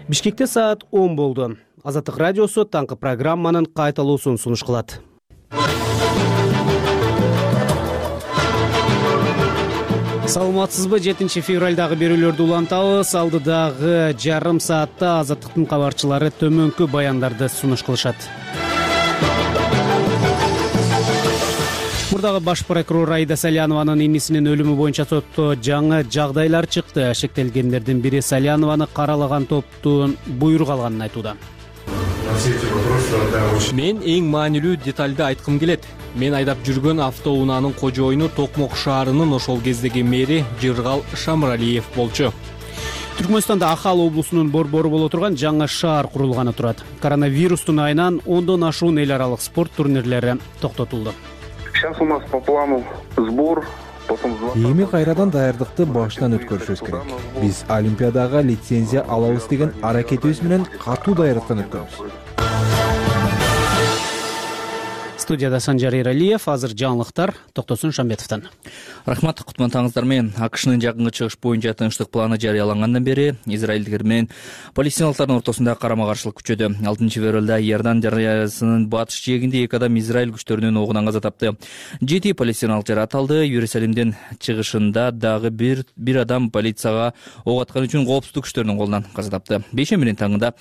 Бишкекте саат 10 болду. Азаттык радиосу таңкы программанын кайталуусун сунуш кылат. Саламатсызбы? 7 февралдагы берүүлөрдү улантабыз. Алдыдагы жарым саатта Азаттыктын кабарчылары төмөнкү баяндарды сунуш кылышат. Мурдагы баш прокурор Аида Салянованын инисинин өлүмү боюнча сотто жаңы жагдайлар чыкты. Шектелгендердин бири Салянованы каралаган топтун буйрук алганын айтууда. Мен эң маанилүү детальды айткым келет. Мен айдап жүргөн автоунаанын кожоюну Токмок шаарынын ошол кездеги мэри Жыргал Шамыралиев болчу. Түркмөнстанда Ахал облусунун борбору боло турган жаңы шаар курулганы турат. Коронавирустун айынан 10дон ашуун эл аралык спорт турнирлери токтотулду. Сейчас у нас по плану сбор. Эми кайрадан даярдыкты баштан өткөрүшүбүз керек. Биз Олимпиадага лицензия алабыз деген аракетибиз менен катуу даярдыктан өткөнбүз. Студияда Санжар Эралиев, азыр жаңылыктар Токтосун Шамбетовдон. Рахмат, кутмантаңыздар менен. АКШнын жакынкы чыгыш боюнча тынчтык планы жарыялангандан бери израилдиктер менен палестиналыктардын ортосунда карама-каршылык күчөдү. 6 февралда Иордан дарыясынын батыш жээгинде 2 адам Израиль күчтөрүнүн огунан каза тапты. 7 палестиналык жаратылды. Иерусалимдин чыгышында дагы бир адам полицияга ок аткан үчүн коопсуздук күчтөрүнүн колунан каза тапты. Бейшембинин таңында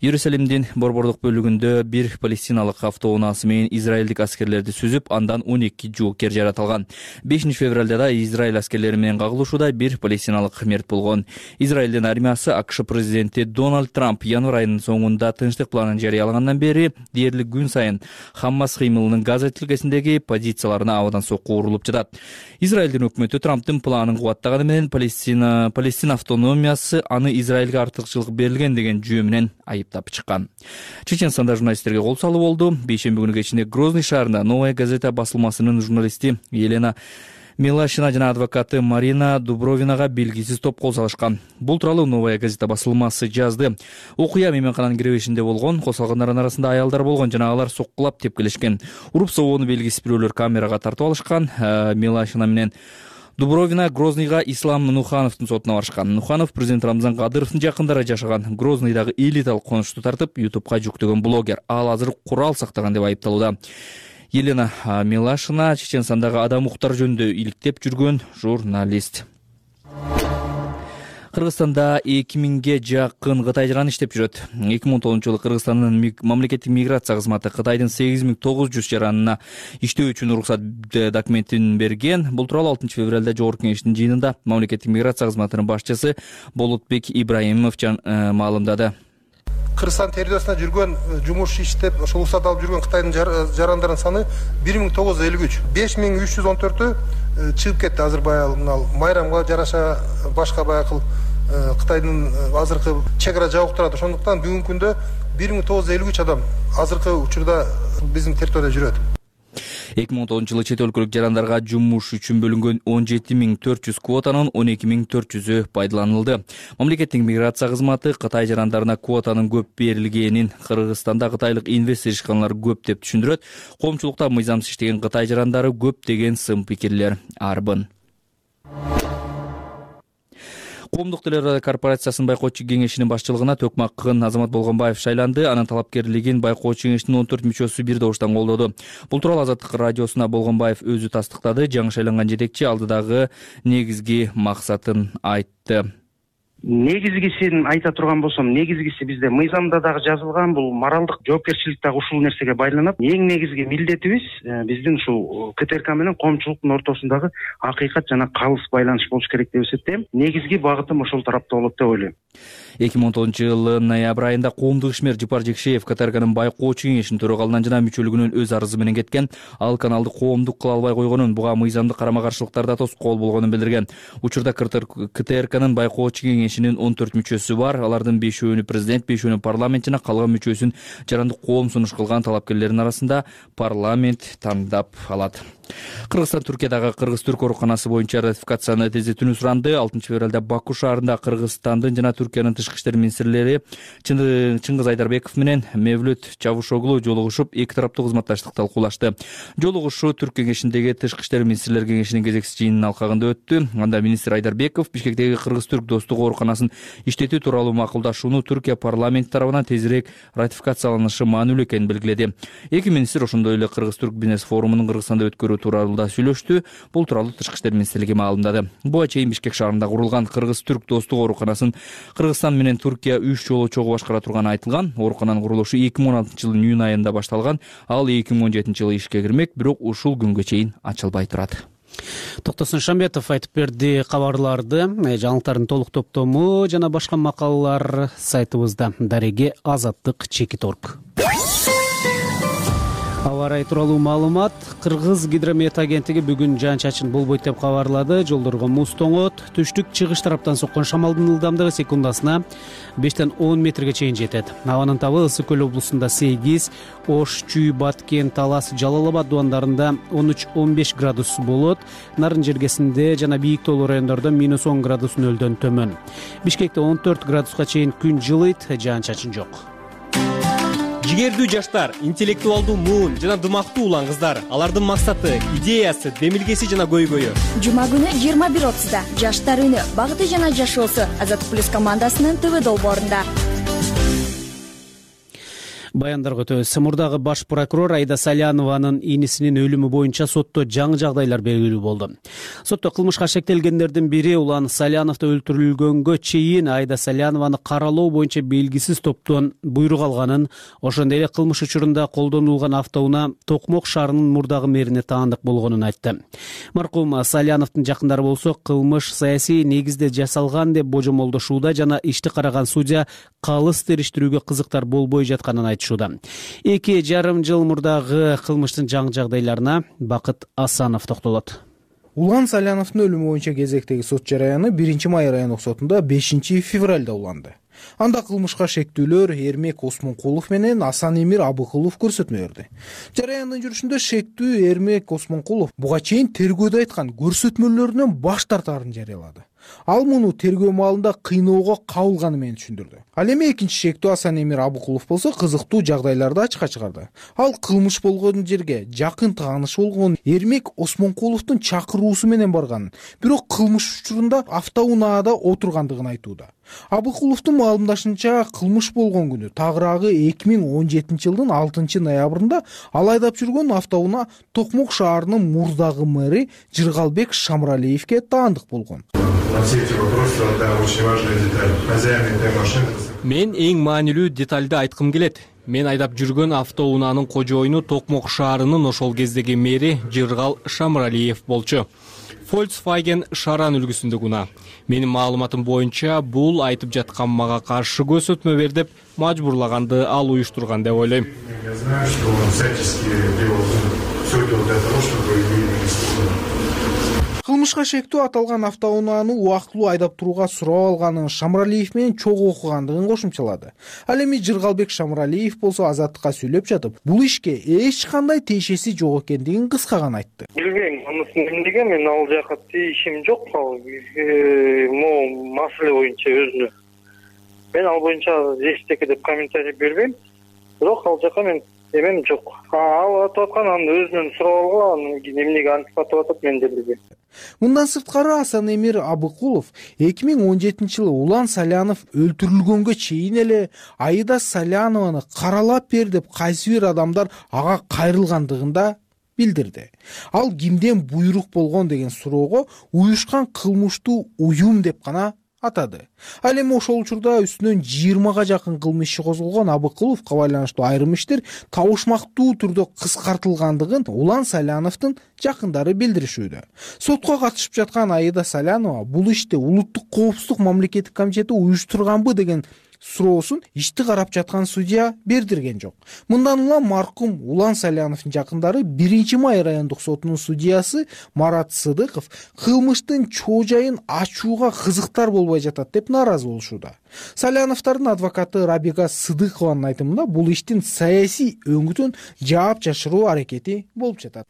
Иерусалимдин борбордук бөлүгүндө бир палестиналык автоунаасы менен израилдик аскерлерди сүзүп, андан 12 жоокер жаратылган. 5 февралда да Израиль аскерлери менен кагылышууда бир палестиналык мерт болгон. Израилдин армиясы АКШ президенти Дональд Трамп январь айынын соңунда тынчтык планын жарыялагандан бери дээрлик күн сайын Хаммас кыймылынын Газа тилкесиндеги позицияларына абадан сокку урулуп жатат. Израилдин өкмөтү Трамптын планын кубаттаганы менен Палестина автономиясы аны Израилге артыкчылык берилген деген жүйө менен айыптап чыккан. Чеченстанда журналисттерге кол салуу болду. Бейшемби күнү кечинде Грозный шаарында Новая газета басылмасынын журналисти Елена Милашина жана адвокаты Марина Дубровинага белгисиз топ кол салышкан. Бул тууралуу Новая газета басылмасы жазды. Окуя мейманкананын киребешинде болгон, кол салгандардын арасында аялдар болгон жана алар соккулап тепкилешкен. Уруп согууну белгисиз бирөөлөр камерага тартып алышкан. Милашина менен Дубровина Грознийга Ислам Нухановдун сотуна барышкан. Нуханов президент Рамзан Кадыровдун жакындары жашаган Грознийдагы элиталык конушту тартып, YouTubeга жүктөгөн блогер. Ал азыр курал сактаган деп айыпталууда. Елена Милашина Чеченстандагы адам укуктар жөнүндө иликтеп жүргөн журналист. Кыргызстанда 2000ге жакын кытайчан иштеп жүрөт. 2010-жылы Кыргызстандын мамлекеттик миграция кызматы Кытайдын 8900 жаранына иштөө үчүн уруксат документин берген. Бул тууралуу 6 февралда Жогорку кеңештин жыйынында мамлекеттик миграция кызматынын башчысы Болотбек Ибраимов маалымдады. Кыргызстан территориясында жүргөн, жумуш иштеп, ошол уруксат алып жүргөн Кытайдын жарандарынын саны 1953. 5314-ü чыгып кетти. Азыр баягы майрамга жараша башка баягы Кытайдын азыркы чек ара жабык турат. Ошондуктан бүгүнкү күндө 1953 адам азыркы учурда биздин территорияда жүрөт. 2010-жылы чет өлкөлүк жарандарга жумуш үчүн бөлүнгөн 17400 квотанын 12400-ü пайдаланылды. Мамлекеттик миграция кызматы Кытай жарандарына квотанын көп берилгенин Кыргызстанда кытайлык инвестор ишканалар көп деп түшүндүрөт. Коомчулукта мыйзамсыз иштеген Кытай жарандары көп деген сын пикирлер арбын. Коомдук телерадио корпорациясынын байкоочу кеңешинин башчылыгына Төкмакын Азамат Болгонбаев шайланды. Анын талапкерлигин байкоочу кеңештин 14 мүчөсү бир добуштан колдоду. Бул тууралуу Азаттык радиосуна Болгонбаев өзү тастыктады. Жаңы шайланган жетекчи алдыдагы негизги максатын айтты. негизгисин айта турган болсом, негизгиси бизде мыйзамда дагы жазылган, бул моралдык жоопкерчилик дагы ушул нерсеге байланат. Эң негизги милдетибиз биздин ушул КТРК менен коомчулуктун ортосундагы акыйкат жана калыс байланыш болуш керек деп эсептейм. Негизги багытым ошол тарапта болот деп ойлойм. 2019-жылы ноябрь айында коомдук ишмер Жыпар Жекшеев КТРКнын байкоочу кеңешинин төрагалынан жана мүчөлүгүнөн өз арызы менен кеткен. Ал каналды коомдук кыла албай койгонун, буга мыйзамдык карама-каршылыктарда тоскоол болгонун билдирген. Учурда КТРКнын байкоочу кеңешинин 14 мүчөсү бар. Алардын 5-өөнү президент, 5-өөнү парламент жана калган мүчөсүн жарандык коом сунуш кылган талапкерлердин арасында парламент тандап алат. Кыргызстан Түркиядагы кыргыз-түрк ооруканасы боюнча ратификацияны тездетүүнү суранды. 6-февралда Баку шаарында Кыргызстандын жана Түркиянын тышкы иштер министрлери Чыңгыз Айдарбеков менен Мевлют Чавушоглу жолугушуп, эки тараптуу кызматташтыкты талкуулашты. Жолугушуу Түрк кеңешиндеги тышкы иштер министрлер кеңешинин кезексиз жыйынынын алкагында өттү. Анда министр Айдарбеков Бишкектеги кыргыз-түрк достук ооруканасын иштетүү тууралуу макулдашууну Түркия парламенти тарабынан тезирээк ратификацияланышы маанилүү экенин белгиледи. Эки министр ошондой эле кыргыз-түрк бизнес форумунун Кыргызстанда өткөрүү тууралуу да сүйлөштү. Бул тууралуу тышкы иштер министрлиги маалымдады. Буга чейин Бишкек шаарында курулган кыргыз-түрк достук ооруканасын Кыргызстан менен Түркия 3 жолу чогуу башкара турганы айтылган. Оорукананын курулушу 2016-жылдын июнь айында башталган. Ал 2017-жылы ишке кирмек, бирок ушул күнгө чейин ачылбай турат. Токтосун Шамбетов айтып берди кабарларды. Жаңылыктардын толук топтому жана башка макалалар сайтыбызда. Дареге Азаттык.org. Аба ырайы тууралуу маалымат. Кыргыз гидромет агенттиги бүгүн жаан-чачын болбойт деп кабарлады. Жолдорго муз тоңот. Түштүк-чыгыш тараптан соккон шамалдын ылдамдыгы секундасына 5-тен 10 метрге чейин жетет. Абанын табы Ысык көл облусунда 8, Ош, Чүй, Баткен, Талас, Жалал Абад дубандарында 13-15 градус болот. Нарын жергесинде жана бийик тоолуу райондордо -10 градус нөлдөн төмөн. Бишкекте 14 градуска чейин күн жылыйт, жаан-чачын жок. Жигердүү жаштар, интеллектуалдуу муун жана дымактуу улан кыздар. Алардын максаты, идеясы, демилгеси жана көйгөйү. Жума күнү 21:30-да Жаштар үнү, багыты жана жашоосу Азаттык плюс командасынын ТВ долбоорунда. Баяндарга өтөбүз. Мурдагы баш прокурор Айда Салянованын инисинин өлүмү боюнча сотто жаңы жагдайлар белгилүү болду. Сотто кылмышка шектелгендердин бири Улан Саляновду өлтүрүлгөнгө чейин Айда Салянованы каралоо боюнча белгисиз топтон буйрук алганын, ошондой эле кылмыш учурунда колдонулган автоунаа Токмок шаарынын мурдагы мэрине таандык болгонун айтты. Маркум Саляновдун жакындары болсо, кылмыш саясий негизде жасалган деп божомолдошууда жана ишти караган судья калыс териштирүүгө кызыктар болбой жатканын айтты. 2,5 жыл мурдагы кылмыштын жаңы жагдайларына Бакыт Асанов токтолот. Улан Саляновдун өлүмү боюнча кезектеги сот жараяны 1-май райондук сотунда 5-февралда уланды. Анда кылмышка шектүүлөр Эрмек Осмонкулов менен Асан Эмир Абыкулов көрсөтмө берди. Жараяндын жүрүшүндө шектүү Эрмек Осмонкулов буга чейин тергөөдө айткан көрсөтмөлөрүнөн баш тартаарын жарыялады. Ал муну тергөө маалында кыйноого кабылганы менен түшүндүрдү. Ал эми экинчи шектүү Асан Эмир Абыкулов болсо кызыктуу жагдайларды ачыкка чыгарды. Ал кылмыш болгон жерге жакын тааныш болгон Эрмек Осмонкуловдун чакыруусу менен барганын, бирок кылмыш учурунда автоунаада отургандыгын айтууда. Абыкуловдун маалымдашынча, кылмыш болгон күнү тагыраагы 2017-жылдын 6-ноябрында ал айдап жүргөн автоунаа Токмок шаарынын мурдагы мэри Жыргалбек Шамралиевке таандык болгон. Мен эң маанилүү детальды айткым келет. Мен айдап жүргөн автоунаанын кожоюну Токмок шаарынын ошол кездеги мэри Жыргал Шамралиев болчу. Volkswagen Шаран үлгүсүндөгү унаа. Менин маалыматым боюнча, бул айтып жаткан мага каршы көрсөтмө бер деп мажбурлаганды ал уюштурган деп ойлойм. Кылмышка шектүү аталган автоунааны убактылуу айдап турууга сурап алганын Шамралиев менен чогуу окугандыгын кошумчалады. Ал эми Жыргалбек Шамралиев болсо Азаттыкка сүйлөп жатып, бул ишке эч кандай тиешеси жок экендигин кыска гана айтты. Билбейм, анысы эмнеге, мен ал жака тийишим жок. Могу маселе боюнча өзүнө. Мен ал боюнча эчтеке деп комментарий бербейм. Бирок ал жака мен эмем жок. Ал атып аткан аны өзүнөн сурап алган, эмнеге антип атып атат, мен да билбейм. Мындан сырткары Асан Эмир Абыкулов 2017-жылы Улан Салянов өлтүрүлгөнгө чейин эле Айда Салянованы каралап бер деп кайсы бир адамдар ага кайрылгандыгында билдирди. Ал кимден буйрук болгон деген суроого уюшкан кылмыштуу уюм деп гана атады. Ал эми ошол учурда үстүнөн 20га жакын кылмыш иши козголгон Абыкыловго байланыштуу айрым иштер табышмактуу түрдө кыскартылгандыгын Улан Саляновдун жакындары билдиришүүдө. Сотко катышып жаткан Аида Салянова бул ишти Улуттук коопсуздук мамлекеттик комитети уюштурганбы деген суроосун ишти карап жаткан судья бердирген жок. Мындан улам маркум Улан Саляновдун жакындары 1-май райондук сотунун судьясы Марат Сыдыков кылмыштын чоо жайын ачууга кызыктар болбой жатат деп нааразы болушууда. Саляновдордун адвокаты Рабига Сыдыкованын айтымында бул иштин саясий өңүтүн жаап жашыруу аракети болуп жатат.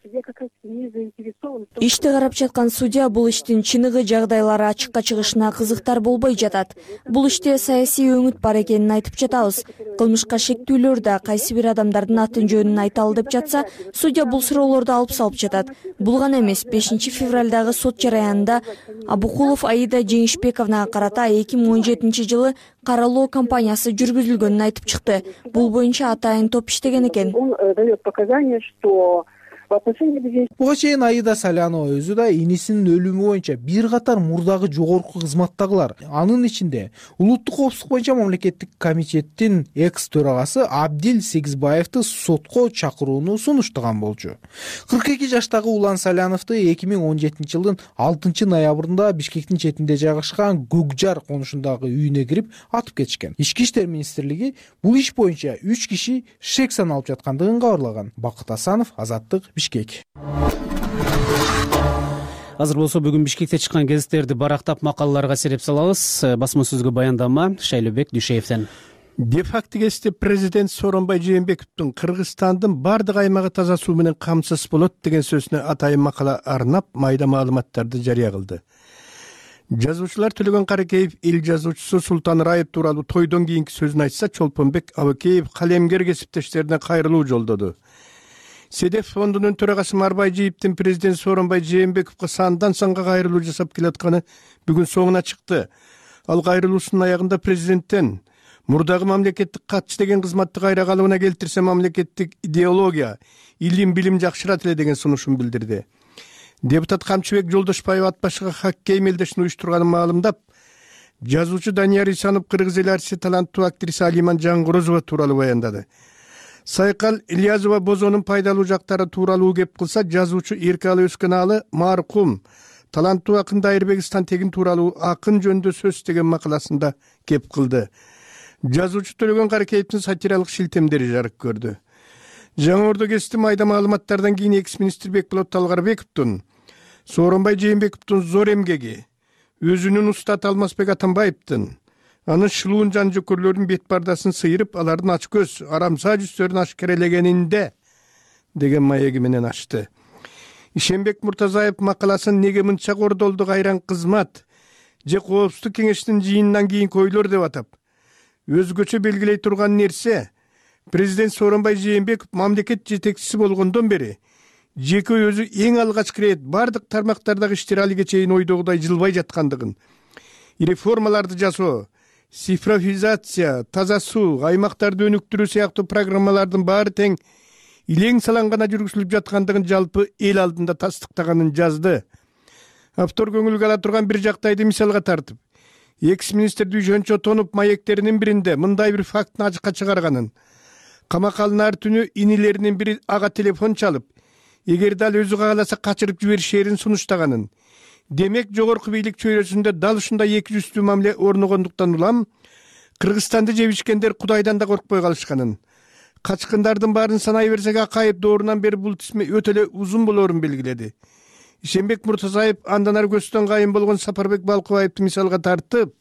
Ишти карап жаткан судья бул иштин чыныгы жагдайлары ачыкка чыгышына кызыктар болбой жатат. Бул иште саясий өңүт бар экенин айтып жатабыз. Кылмышка шектүүлөр да кайсы бир адамдардын атын жөнүн айталы деп жатса, судья бул суроолорду алып салып жатат. Бул гана эмес, 5-февралдагы сот жараянында Абыкулов Аида Жеңишбековнага карата 2017-жылы каралоо кампаниясы жүргүзүлгөнүн айтып чыкты. Бул боюнча атайын топ иштеген экен. Он дает показания, что Буга чейин Аида Салянова өзү да инисинин өлүмү боюнча бир катар мурдагы жогорку кызматтагылар, анын ичинде Улуттук коопсуздук боюнча мамлекеттик комитеттин экс төрагасы Абдил Сегизбаевди сотко чакырууну сунуштаган болчу. 42 жаштагы Улан Саляновду 2017-жылдын 6-ноябрында Бишкектин четинде жайгашкан Көкжар конушундагы үйүнө кирип атып кетишкен. Ички иштер министрлиги бул иш боюнча 3 киши шек саналып жаткандыгын кабарлаган. Бакыт Асанов, Азаттык, Бишкек. Азыр болсо бүгүн Бишкекте чыккан гезиттерди барактап макалаларга сереп салабыз. Басма сөзгө баяндама Шайлообек Дүйшеевден. Де-факто гезитте президент Сооронбай Жээнбековдун Кыргызстандын бардык аймагы таза суу менен камсыз болот деген сөзүнө атайын макала арнап майда маалыматтарды жарыя кылды. Жазуучулар Төлөгөн Каракеев эл жазуучусу Султан Раев тууралуу тойдон кийинки сөзүн айтса, Чолпонбек Абыкеев калемгер кесиптештерине кайрылуу жолдоду. Седеф фондунун төрагасы Марбайжиевдин президент Сооронбай Жээнбековго сандан санга кайрылуу жасап келатканы бүгүн соңуна чыкты. Ал кайрылуусунун аягында президенттен мурдагы мамлекеттик катчы деген кызматты кайра калыбына келтирсе мамлекеттик идеология, илим, билим жакшырат эле деген сунушун билдирди. Депутат Камчыбек Жолдошбаев ат башыга хоккей мелдешин уюштурганын маалымдап, жазуучу Данияр Исанов кыргыз эл артисти таланттуу актриса Алиман Жангорозова тууралуу баяндады. Сайкал Ильязова бозонун пайдалуу жактары тууралуу кеп кылса, жазуучу Эркалы Өскөналы маркум таланттуу акын Дайырбек Тегин тууралуу акын жөнүндө сөз деген макаласында кеп кылды. Жазуучу Төлөгөн Каракеевдин сатиралык шилтемдери жарык көрдү. Жаңы Ордо гезити майда маалыматтардан кийин экс-министр Бекболот Талгарбековдун, Сооронбай Жээнбековдун зор эмгеги, өзүнүн устаты Алмазбек Атамбаевдин, анын шылуун жан жөкөрлөрүнүн бет пардасын сыйырып, алардын ачкөз, арамса жүздөрүн ашкерелегенинде деген маеги менен ачты. Ишенбек Муртазаев макаласын неге мынча кордолду кайран кызмат же коопсуздук кеңештин жыйынынан кийинки ойлор деп атап, өзгөчө белгилей турган нерсе, президент Сооронбай Жээнбеков мамлекет жетекчиси болгондон бери жеке өзү эң алгачкы ирет бардык тармактардагы иштер алиге чейин ойдогудай жылбай жаткандыгын, реформаларды жасоо, цифровизация, таза суу, аймактарды өнүктүрүү сыяктуу программалардын баары тең илең салан гана жүргүзүлүп жаткандыгын жалпы эл алдында тастыктаганын жазды. Автор көңүлгө ала турган бир жактайды мисалга тартып, экс-министр Дүйшөн Чотонов маектеринин биринде мындай бир фактыны ачыкка чыгарганын, камакалынар түнү инилеринин бири ага телефон чалып, эгерде ал өзү кааласа качырып жиберишерин сунуштаганын, демек жогорку бийлик чөйрөсүндө дал ушундай эки жүздүү мамиле орногондуктан улам Кыргызстанды жебишкендер Кудайдан да коркпой калышканын, качкындардын баарын санай берсек Акаев доорунан бери бул тизме өтө эле узун болоорун белгиледи. Ишенбек Муртазаев андан ары көстөн кайын болгон Сапарбек Балкыбаевди мисалга тартып,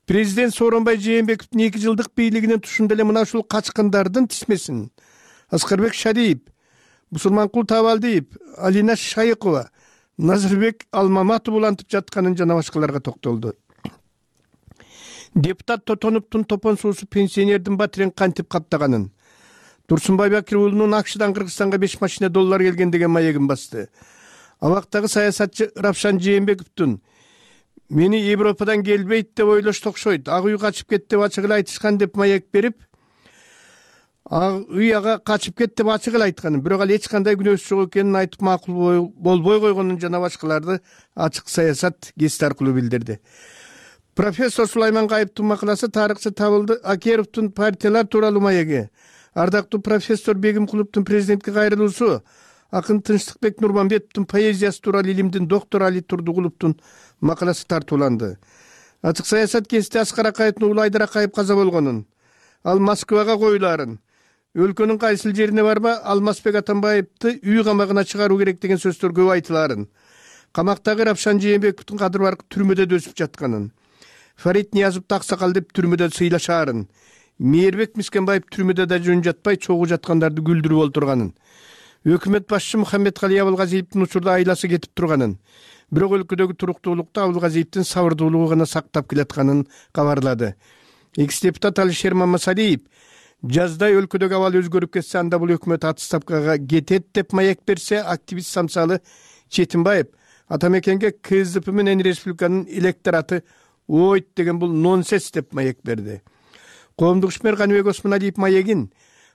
президент Сооронбай Жээнбековдун 2 жылдык бийлигинин тушунда эле мына ушул качкындардын тизмесин Аскарбек Шадиев, Мусулманкул Табалдиев, Алина Шайыкова, Назырбек Алмаматов улантып жатканын жана башкаларга токтолду. Депутат Тотоновдун топон суусу пенсионердин батирин кантип каптаганын, Турсунбай Бакир уулунун Акшыдан Кыргызстанга 5 машина доллар келген деген маегин басты. Абактагы саясатчы Рапшан Жээнбековдун мени Европадан келбейт деп ойлошто окшойт, ак үй качып кетти деп ачык эле айтышкан деп маек берип, ак үй ага качып кетти деп ачык эле айтканын, бирок ал эч кандай күнөөсү жок экенин айтып макул болбой койгонун жана башкаларды ачык саясат гезити аркылуу билдирди. Профессор Сулаймангайыптын макаласы тарыхчы Табылды Акеровдун партиялар тууралуу маеги. Ардактуу профессор Бегимкуловдун президентке кайрылуусу, акын Тынчтыкбек Нурманбетовдун поэзиясы тууралуу илимдин доктору Али Турдугуловдун макаласы тартууланды. Ачык саясат кесте Аскар Акаевдин уулу Айдар Акаев каза болгонун, ал Москвага коюлаарын, өлкөнүн кайсыл жерине барба Алмазбек Атамбаевди үй камагына чыгаруу керек деген сөздөр көп айтылаарын, камактагы Рапшан Жээнбековдун кадыр баркы түрмөдө өсүп жатканын, Фарид Ниязовду аксакал деп түрмөдө сыйлашаарын, Мээрбек Мискенбаев түрмөдө да жөн жатпай чогуу жаткандарды күлдүрүп олтурганын, өкмөт башчы Мухаммедкали Абылгазиевдин учурда айласы кетип турганын, бирок өлкөдөгү туруктуулукту Абылгазиевдин сабырдуулугу гана сактап келатканын кабарлады. Экс-депутат Алишер Мамасалиев жазда өлкөдөгү абал өзгөрүп кетсе, анда бул өкмөт отставкага кетет деп маек берсе, активист Самсалы Четимбаев атамекенге КСДП менен республиканын электораты ойт деген бул нонсенс деп маек берди. Коомдук ишмер Каныбек Осмоналиев маегин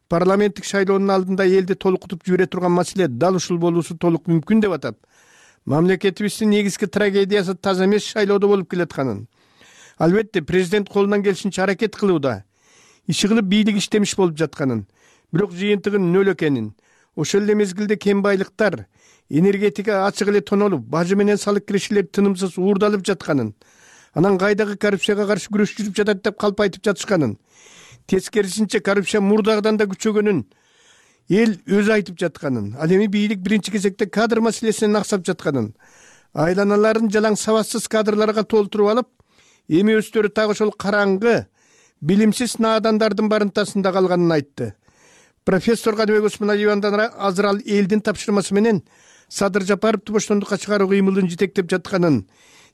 парламенттик шайлоонун алдында элди толкутуп жибере турган маселе дал ушул болуусу толук мүмкүн деп атап, мамлекетибиздин негизги трагедиясы таза эмес шайлоодо болуп келатканын, албетте президент колунан келишинче аракет кылууда, иши кылып бийлик иштемиш болуп жатканын, бирок жыйынтыгын нөл экенин, ошол эле мезгилде кем байлыктар, энергетика ачык эле тонолуп, бажы менен салык кирешелер тынымсыз уурдалып жатканын, анан кайдагы коррупцияга каршы күрөш жүрүп жатат деп калп айтып жатышканын, тескерисинче коррупция мурдагыдан да күчөгөнүн эл өзү айтып жатканын, ал эми бийлик биринчи кезекте кадр маселесинен аксап жатканын, айланаларын жалаң сабатсыз кадрларга толтуруп алып, эми өздөрү так ошол караңгы, билимсиз наадандардын барымтасында калганын айтты. Профессор Каныбек Осмоналиев андан азыр ал элдин тапшырмасы менен Садыр Жапаровду боштондукка чыгаруу кыймылын жетектеп жатканын,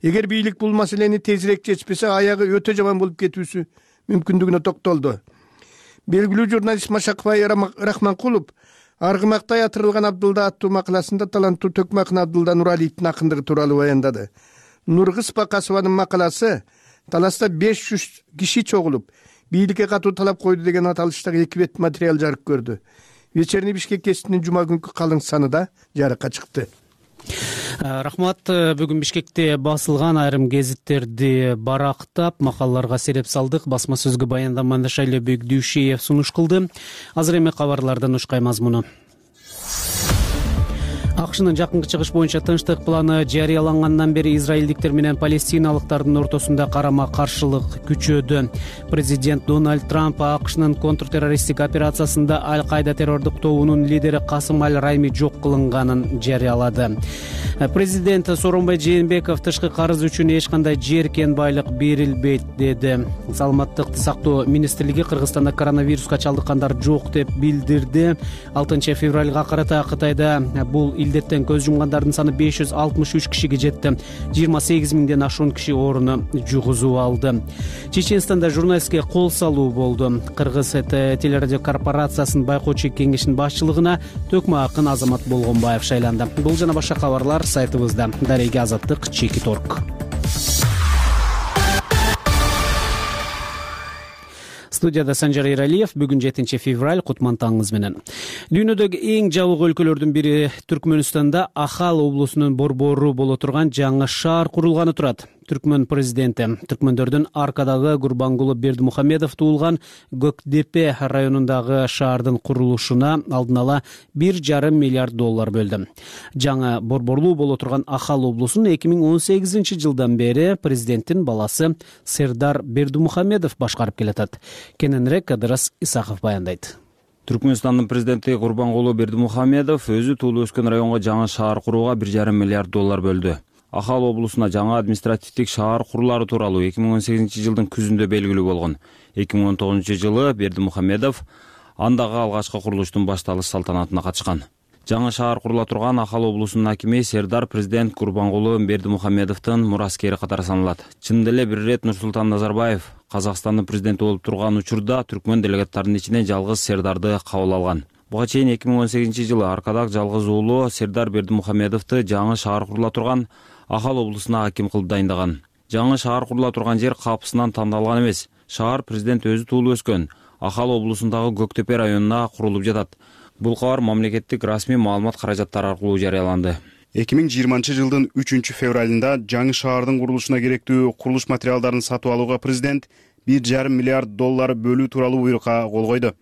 эгер бийлик бул маселени тезирээк чечпесе, аягы өтө жаман болуп кетүүсү мүмкүндүгүнө токтолду. Белгилүү журналист Машакбай Рахманкулов Аргымактай атырылган Абдылда аттуу макаласында таланттуу Төкмакын Абдылда Нуралиевдин акындыгы тууралуу баяндады. Нургыз Бакасованын макаласы таласта 500 киши чогулуп, бийликке катуу талап койду деген аталыштагы 2 бет материал жарык көрдү. Вечерний Бишкек гезитинин жума күнкү калың саны да жарыкка чыкты. Рахмат. Бүгүн Бишкекте басылган айрым гезиттерди барактап, макалаларга сереп салдык. Басма сөзгө баяндаманы Шайлебек Дүйшеев сунуш кылды. Азыр эми кабарлардан ушкай мазмуну. АКШнын жакынкы чыгыш боюнча тынчтык планы жарыялангандан бери израилдиктер менен палестиналыктардын ортосунда карама-каршылык күчөдү. Президент Дональд Трамп АКШнын контртеррористтик операциясында Аль-Кайда террордук тобунун лидери Касым Аль-Райми жок кылынганын жарыялады. Президент Сооронбай Жээнбеков тышкы карыз үчүн эч кандай жер кен байлык берилбейт деди. Саламаттыкты сактоо министрлиги Кыргызстанда коронавируска чалдыккандар жок деп билдирди. 6 февралга карата Кытайда бул илдеттен көз жумгандардын саны 563 кишиге жетти. 28 миңден ашуун киши ооруну жугузуп алды. Чеченстанда журналистке кол салуу болду. Кыргыз телерадио корпорациясынын байкоочу кеңешинин башчылыгына Төкмакын Азамат Болгонбаев шайланды. Бул жана башка кабарлар сайтыбызда. Дареге Азаттык /Орг. Студияда Санжар Эралиев. Бүгүн 7 февраль, кутман таңыңыз менен. Дүйнөдөгү эң жабык өлкөлөрдүн бири Түркмөнстанда Ахал облусунун борбору боло турган жаңы шаар курулганы турат. Түркмөн президенти түркмөндөрдүн Аркадагы Гурбангулы Бердимухамедов туулган Көкдепе районундагы шаардын курулушуна алдын ала $1,5 миллиард бөлдү. Жаңы борборлуу боло турган Ахал облусун 2018 жылдан бери президенттин баласы Сердар Бердимухамедов башкарып келатат. Кененирээк Кадырас Исаков баяндайт. Түркмөнстандын президенти Гурбангулы Бердимухамедов өзү туулуп өскөн районго жаңы шаар курууга $1,5 миллиард бөлдү. Ахал облусуна жаңы административдик шаар курулары тууралуу 2018 жылдын күзүндө белгилүү болгон. 2019 жылы Бердимухамедов андагы алгачкы курулуштун башталыш салтанатына катышкан. Жаңы шаар курула турган Ахал облусунун акими Сердар президент Гурбангулы Бердимухамедовдун мураскери катары саналат. Чындап эле бир ирет Нурсултан Назарбаев Казакстандын президенти болуп турган учурда түркмөн делегаттарынын ичинен жалгыз Сердарды кабыл алган. Буга чейин 2018 жылы Аркадак жалгыз уулу Сердар Бердимухамедовду жаңы шаар курула турган Ахал облусуна аким кылып дайындаган. Жаңы шаар курула турган жер капысынан тандалган эмес. Шаар президент өзү туулуп өскөн Ахал облусундагы Көктепе районуна курулуп жатат. Бул кабар мамлекеттик расмий маалымат каражаттары аркылуу жарыяланды. 2020 жылдын 3-февралында жаңы шаардын курулушуна керектүү курулуш материалдарын сатып алууга президент $1,5 миллиард бөлүү тууралуу буйрукка кол койду.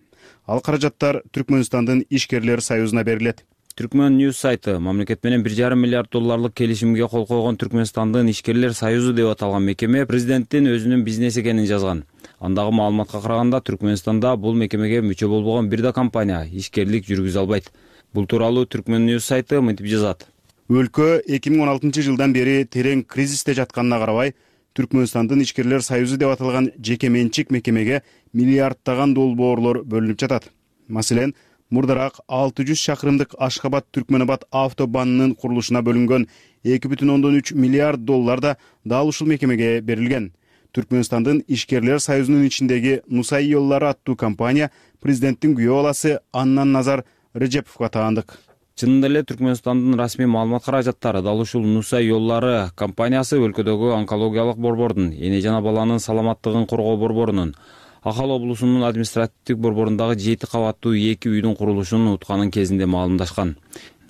Ал каражаттар Түркмөнстандын ишкерлер союзуна берилет. Түркмөн News сайты мамлекет менен $1,5 миллиард келишимге кол койгон Түркмөнстандын ишкерлер союзу деп аталган мекеме президенттин өзүнүн бизнес экенин жазган. Андагы маалыматка караганда Түркмөнстанда бул мекемеге мүчө болбогон бир да компания ишкерлик жүргүзө албайт. Бул тууралуу Түркмөн News сайты мынтип жазат. Өлкө 2016 жылдан бери терең кризисте жатканына карабай, Түркмөнстандын ишкерлер союзу деп аталган жеке менчик мекемеге миллиарддаган долбоорлор бөлүнүп жатат. Маселен, мурдараак 600 шакырымдык Ашхабад-Түркмөнабад автобанынын курулушуна бөлүнгөн $2,3 миллиард да дал ушул мекемеге берилген. Түркмөнстандын ишкерлер союзунун ичиндеги Нусай Йоллары аттуу компания президенттин күйөө баласы Аннан Назар Режеповго таандык. Чынында эле Түркмөнстандын расмий маалымат каражаттары дал ушул Нусай Йоллары компаниясы өлкөдөгү онкологиялык борбордун, эне жана баланын саламаттыгын коргоо борборунун, Ахал облусунун административдик борборундагы 7 кабаттуу 2 үйдүн курулушун утканын кезинде маалымдашкан.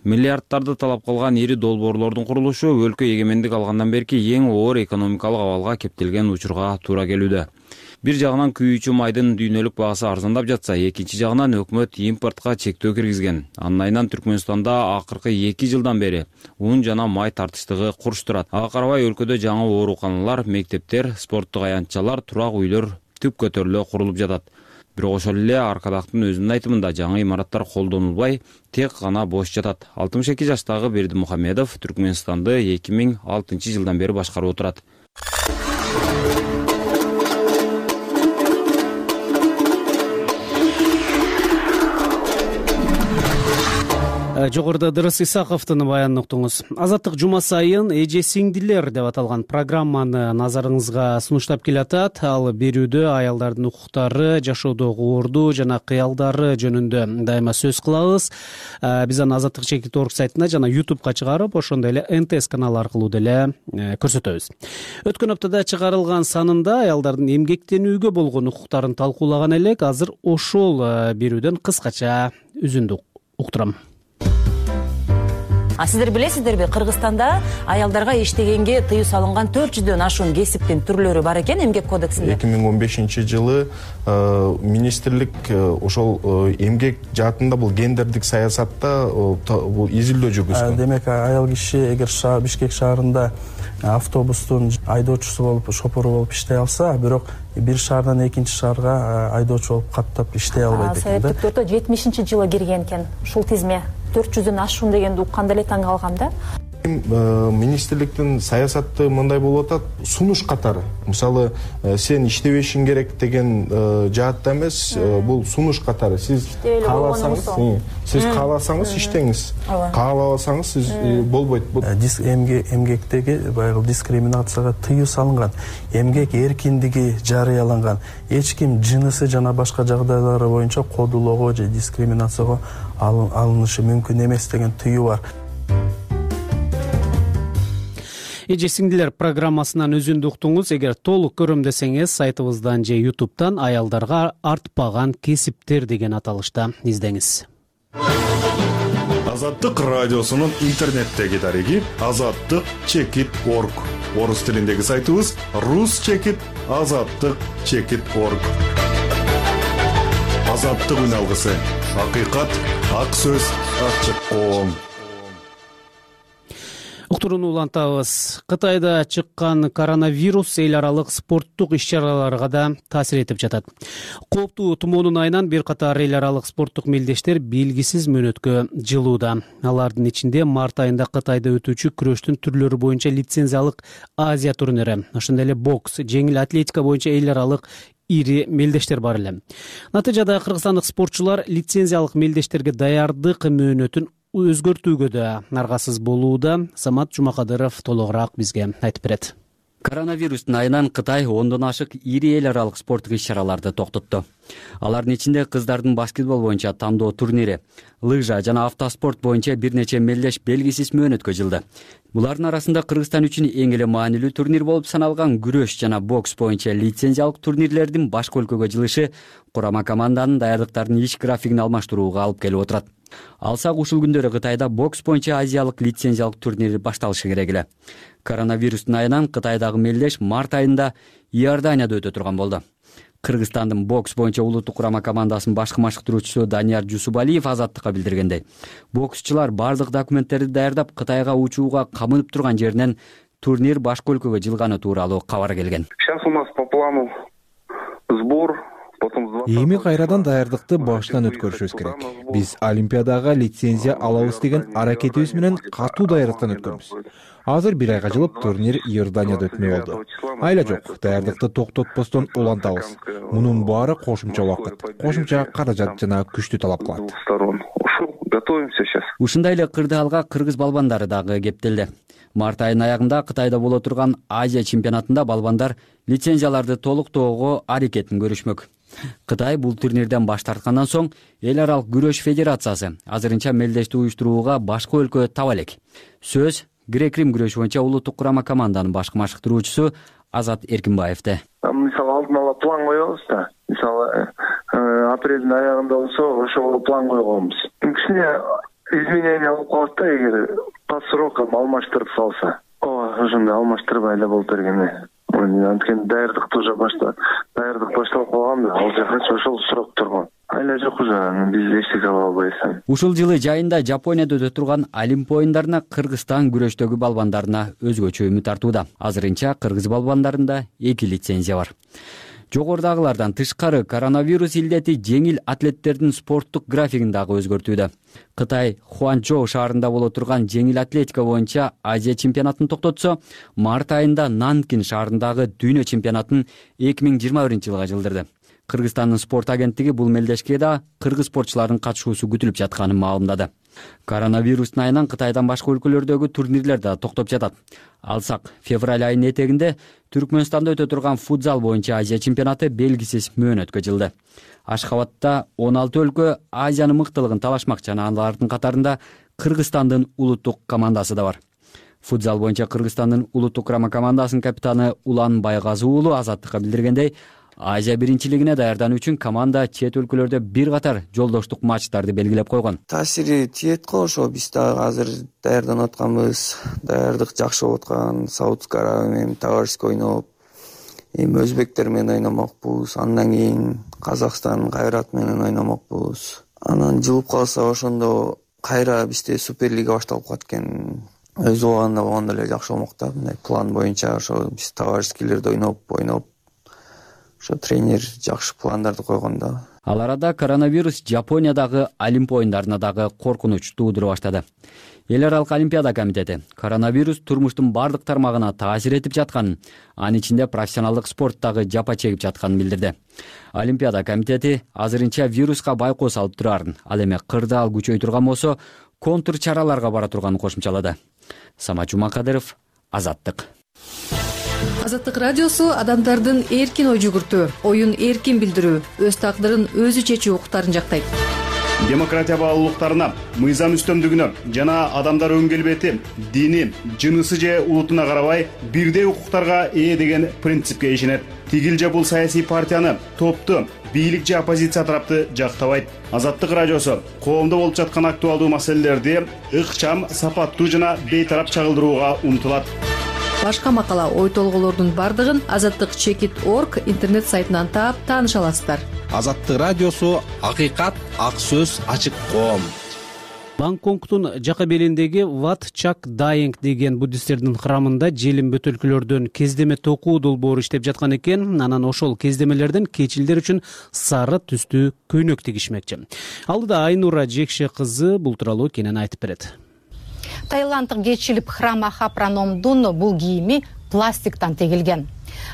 Миллиарддарды талап кылган ири долбоорлордун курулушу өлкө эгемендик алгандан берки эң оор экономикалык абалга кептелген учурга туура келүүдө. Бир жагынан күйүүчү майдын дүйнөлүк багасы арзандап жатса, экинчи жагынан өкмөт импортко чектөө киргизген. Анын айынан Түркмөнстанда акыркы 2 жылдан бери ун жана май тартыштыгы курч турат. Ага карабай өлкөдө жаңы ооруканалар, мектептер, спорттук аянтчалар, турак үйлөр түп көтөрүлө курулуп жатат. Бирок ошол эле Аркадактын өзүнүн айтымында жаңы имараттар колдонулбай, тек гана бош жатат. 62 жаштагы Бердимухамедов Түркмөнстанды 2006 жылдан бери башкарып отурат. Жогоруда Дырыс Исаковдун баянын уктуңуз. Азаттык жума сайын эже сиңдилер деп аталган программаны назарыңызга сунуштап келатат. Ал берүүдө аялдардын укуктары, жашоодогу орду жана кыялдары жөнүндө дайыма сөз кылабыз. Биз аны azattik.org сайтына жана YouTubeга чыгарып, ошондой эле НТС каналы аркылуу деле көрсөтөбүз. Өткөн аптада чыгарылган санында аялдардын эмгектенүүгө болгон укуктарын талкуулаган элек. Азыр ошол берүүдөн кыскача үзүндү уктурам. Сиздер билесиздерби, Кыргызстанда аялдарга иштегенге тыюу салынган 400дөн ашуун кесиптин түрлөрү бар экен эмгек кодексинде. 2015 жылы министрлик ошол эмгек жаатында бул гендердик саясатта бул изилдөө жүргүзгөн. Демек, аял киши эгер Бишкек шаарында автобустун айдоочусу болуп, шопору болуп иштей алса, бирок бир шаардан экинчи шаарга айдоочу болуп каттап иштей албайт экен да. Советтик төртө 70-жылы кирген экен ушул тизме. 400дөн ашуун дегенди укканда эле таң калгам да. Министрликтин саясаты мындай болуп атат, сунуш катары. Мисалы, сен иштебешиң керек деген жаатта эмес, бул сунуш катары. Сиз кааласаңыз иштеңиз, каалабасаңыз сиз болбойт. Эмгектеги баягы дискриминацияга тыюу салынган, эмгек эркиндиги жарыяланган. Эч ким жынысы жана башка жагдайлары боюнча кодулоого же дискриминацияга алынышы мүмкүн эмес деген тыюу бар. Эже сиңдилер программасынан өзүндү уктуңуз. Эгер толук көрөм десеңиз, сайтыбыздан же YouTube'дан аялдарга артпаган кесиптер деген аталышта издеңиз. Азаттык радиосунун интернеттеги дареги azattik.org. Орус тилиндеги сайтыбыз rus.azattik.org. Азаттык үн алгысы. Акыйкат, ак сөз, ачык коом. Уктурууну улантабыз. Кытайда чыккан коронавирус эл аралык спорттук иш-чараларга да таасир этип жатат. Кооптуу тумоонун айынан бир катар эл аралык спорттук мелдештер белгисиз мөөнөткө жылууда. Алардын ичинде март айында Кытайда өтүүчү күрөштүн түрлөрү боюнча лицензиялык Азия турнири, ошондой эле бокс, жеңил атлетика боюнча эл аралык ири мелдештер бар эле. Натыйжада кыргызстандык спортчулар лицензиялык мелдештерге даярдык мөөнөтүн өзгөртүүгө да аргасыз болууда. Самат Жумакадыров толугураак бизге айтып берет. Коронавирустун айынан Кытай 10дон ашык ири эл аралык спорттук иш-чараларды токтотту. Алардын ичинде кыздардын баскетбол боюнча тандоо турнири, лыжа жана автоспорт боюнча бир нече мелдеш белгисиз мөөнөткө жылды. Булардын арасында Кыргызстан үчүн эң эле маанилүү турнир болуп саналган күрөш жана бокс боюнча лицензиялык турнирлердин башка өлкөгө жылышы курама команданын даярдыктарынын иш графигин алмаштырууга алып келип отурат. Алсак ушул күндөрү Кытайда бокс боюнча азиялык лицензиялык турнир башталышы керек эле. Коронавирустун айынан Кытайдагы мелдеш март айында Иорданияда өтө турган болду. Кыргызстандын бокс боюнча улуттук курама командасынын башкы машыктыруучусу Данияр Жусубалиев Азаттыкка билдиргендей, боксчулар бардык документтерди даярдап Кытайга учууга камынып турган жеринен турнир башка өлкөгө жылганы тууралуу кабар келген. Сейчас у нас по плану сбор. Эми кайрадан даярдыкты баштан өткөрүшүбүз керек. Биз Олимпиадага лицензия алабыз деген аракетибиз менен катуу даярдыктан өткөнбүз. Азыр бир айга жылып турнир Иорданияда өтмөй болду. Айла жок, даярдыкты токтотпостон улантабыз. Мунун баары кошумча убакыт, кошумча каражат жана күчтү талап кылат. Готовимся сейчас. Ушундай эле кырдаалга кыргыз балбандары дагы кептелди. Март айынын аягында Кытайда боло турган Азия чемпионатында балбандар лицензияларды толуктоого аракетин көрүшмөк. Кытай бул турнирден баш тарткандан соң эл аралык күрөш федерациясы азырынча мелдешти уюштурууга башка өлкө таба элек. Сөз грек-рим күрөшү боюнча улуттук курама команданын башкы машыктыруучусу Азат Эркинбаевде. Мисалы алдын ала план коебуз да. Мисалы апрелдин аягында болсо ошого план койгонбуз. Кичине изменение болуп калат да, эгер по срокам алмаштырып салса. Ошондой алмаштырбай эле болуп берген. Анткени даярдыкты уже даярдык башталып калган да, ал жакачы ошол срок турган. Айла жок уже, биз эчтеке кыла албайбыз. Ушул жылы жайында Жапонияда өтө турган Олимп оюндарына Кыргызстан күрөштөгү балбандарына өзгөчө үмүт артууда. Азырынча кыргыз балбандарында 2 лицензия бар. Жогорудагылардан тышкары коронавирус илдети жеңил атлеттердин спорттук графигин дагы өзгөртүүдө. Кытай Хуанчжоу шаарында боло турган жеңил атлетика боюнча Азия чемпионатын токтотсо, март айында Нанкин шаарындагы дүйнө чемпионатын 2021-жылга жылдырды. Кыргызстандын спорт агенттиги бул мелдешке да кыргыз спортчулардын катышуусу күтүлүп жатканын маалымдады. Коронавирустун айынан Кытайдан башка өлкөлөрдөгү турнирлер да токтоп жатат. Алсак, февраль айынын этегинде Түркмөнстанда өтө турган футзал боюнча Азия чемпионаты белгисиз мөөнөткө жылды. Ашхабадта 16 өлкө Азиянын мыктылыгын талашмак жана алардын катарында Кыргызстандын улуттук командасы да бар. Футзал боюнча Кыргызстандын улуттук курама командасынын капитаны Улан Байгазы уулу Азаттыкка билдиргендей, Азия биринчилигине даярдануу үчүн команда чет өлкөлөрдө бир катар жолдоштук матчтарды белгилеп койгон. Таасири тиет го, ошо биз дагы азыр даярданып атканбыз. Даярдык жакшы болуп аткан. Саудовская Аравия менен товарищеский ойноп, эми өзбектер менен ойномокпуз. Андан кийин Казакстан Кайрат менен ойномокпуз. Анан жылып калса ошондо кайра бизде Суперлига башталып калат экен. Өз убагында болгондо эле жакшы болмок да. Мындай план боюнча ошо биз товарищескийлерде ойноп ошо тренер жакшы пландарды койгон да. Ал арада коронавирус Жапониядагы Олимп оюндарына дагы коркунуч туудура баштады. Эл аралык Олимпиада комитети коронавирус турмуштун бардык тармагына таасир этип жатканын, анын ичинде профессионалдык спорттагы жапа чегип жатканын билдирди. Олимпиада комитети азырынча вируска байкоо салып турарын, ал эми кырдаал күчөй турган болсо, контр чараларга бара турганын кошумчалады. Самат Жумакадыров, Азаттык. Азаттык радиосу адамдардын эркин ой жүгүртүү, оюн эркин билдирүү, өз тагдырын өзү чечүү укуктарын жактайт. Демократия баалуулуктарына, мыйзам үстөмдүгүнө жана адамдар өң келбети, дини, жынысы же улутуна карабай бирдей укуктарга ээ деген принципке ишенет. Тигил же бул саясий партияны, топту, бийлик же оппозиция тарапты жактабайт. Азаттык радиосу коомдо болуп жаткан актуалдуу маселелерди ыкчам, сапаттуу жана бейтарап чагылдырууга умтулат. Башка макала, ой толголордун бардыгын azattik.org интернет сайтынан таап тааныша аласыздар. Азаттык радиосу акыйкат, ак сөз, ачык коом. Гонконгдун жака белиндеги Wat Chak Dayeng деген буддисттердин храмында желим бөтөлкөлөрдөн кездеме токуу долбоору иштеп жаткан экен. Анан ошол кездемелерден кечилдер үчүн сары түстүү көйнөк тигишмекчи. Алдыда Айнура Жекше кызы бул тууралуу кенен айтып берет. Таиланддык кечилип храм Ахапраномдун бул кийими пластиктан тегилген.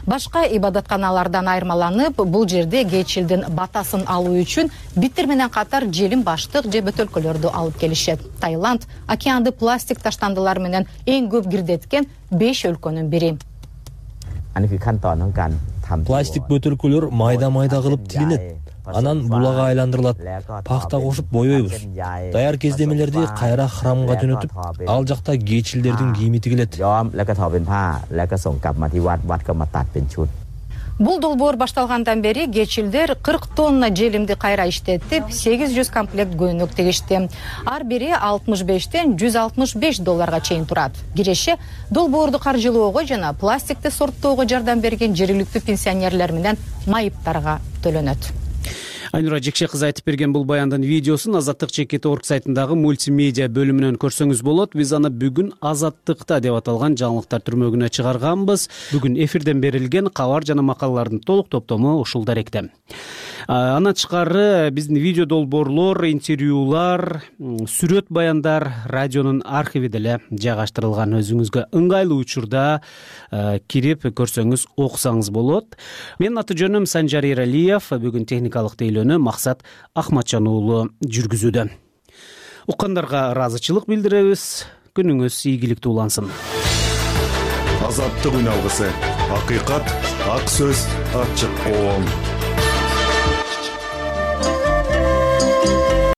Башка ибадатканалардан айырмаланып, бул жерде кечилдин батасын алуу үчүн биттер менен катар желим баштык же бөтөлкөлөрдү алып келишет. Таиланд океанды пластик таштандылар менен эң көп кирдеткен 5 өлкөнүн бири. Пластик бөтөлкөлөр майда-майда кылып тилинет. Анан булага айландырылат, пахта кошуп боёйбуз. Даяр кездемелерди кайра храмга жөнөтүп, ал жакта кечилдердин кийими тигилет. Бул долбоор башталгандан бери кечилдер 40 тонна желимди кайра иштетип, 800 комплект көйнөк тигишти. Ар бири 65-тен $165 чейин турат. Киреше долбоорду каржылоого жана пластикти сорттоого жардам берген жергиликтүү пенсионерлер менен майыптарга төлөнөт. Айнура Жекше кызы айтып берген бул баяндын видеосун azattik.org сайтындагы мультимедиа бөлүмүнөн көрсөңүз болот. Биз аны бүгүн Азаттыкта деп аталган жаңылыктар түрмөгүнө чыгарганбыз. Бүгүн эфирден берилген кабар жана макалалардын толук топтому ушул даректе. Андан тышкары биздин видео долбоорлор, интервьюлар, сүрөт баяндар радионун архиви деле жайгаштырылган. Өзүңүзгө ыңгайлуу учурда кирип көрсөңүз, окусаңыз болот. Менин аты жөнүм Санжар Эралиев. Бүгүн техникалык тейлөөнү Максат Ахматжан уулу жүргүзүүдө. Уккандарга ыраазычылык билдиребиз. Күнүңүз ийгиликтүү улансын. Азаттык үн алгысы. Акыйкат, ак сөз, ачык коом.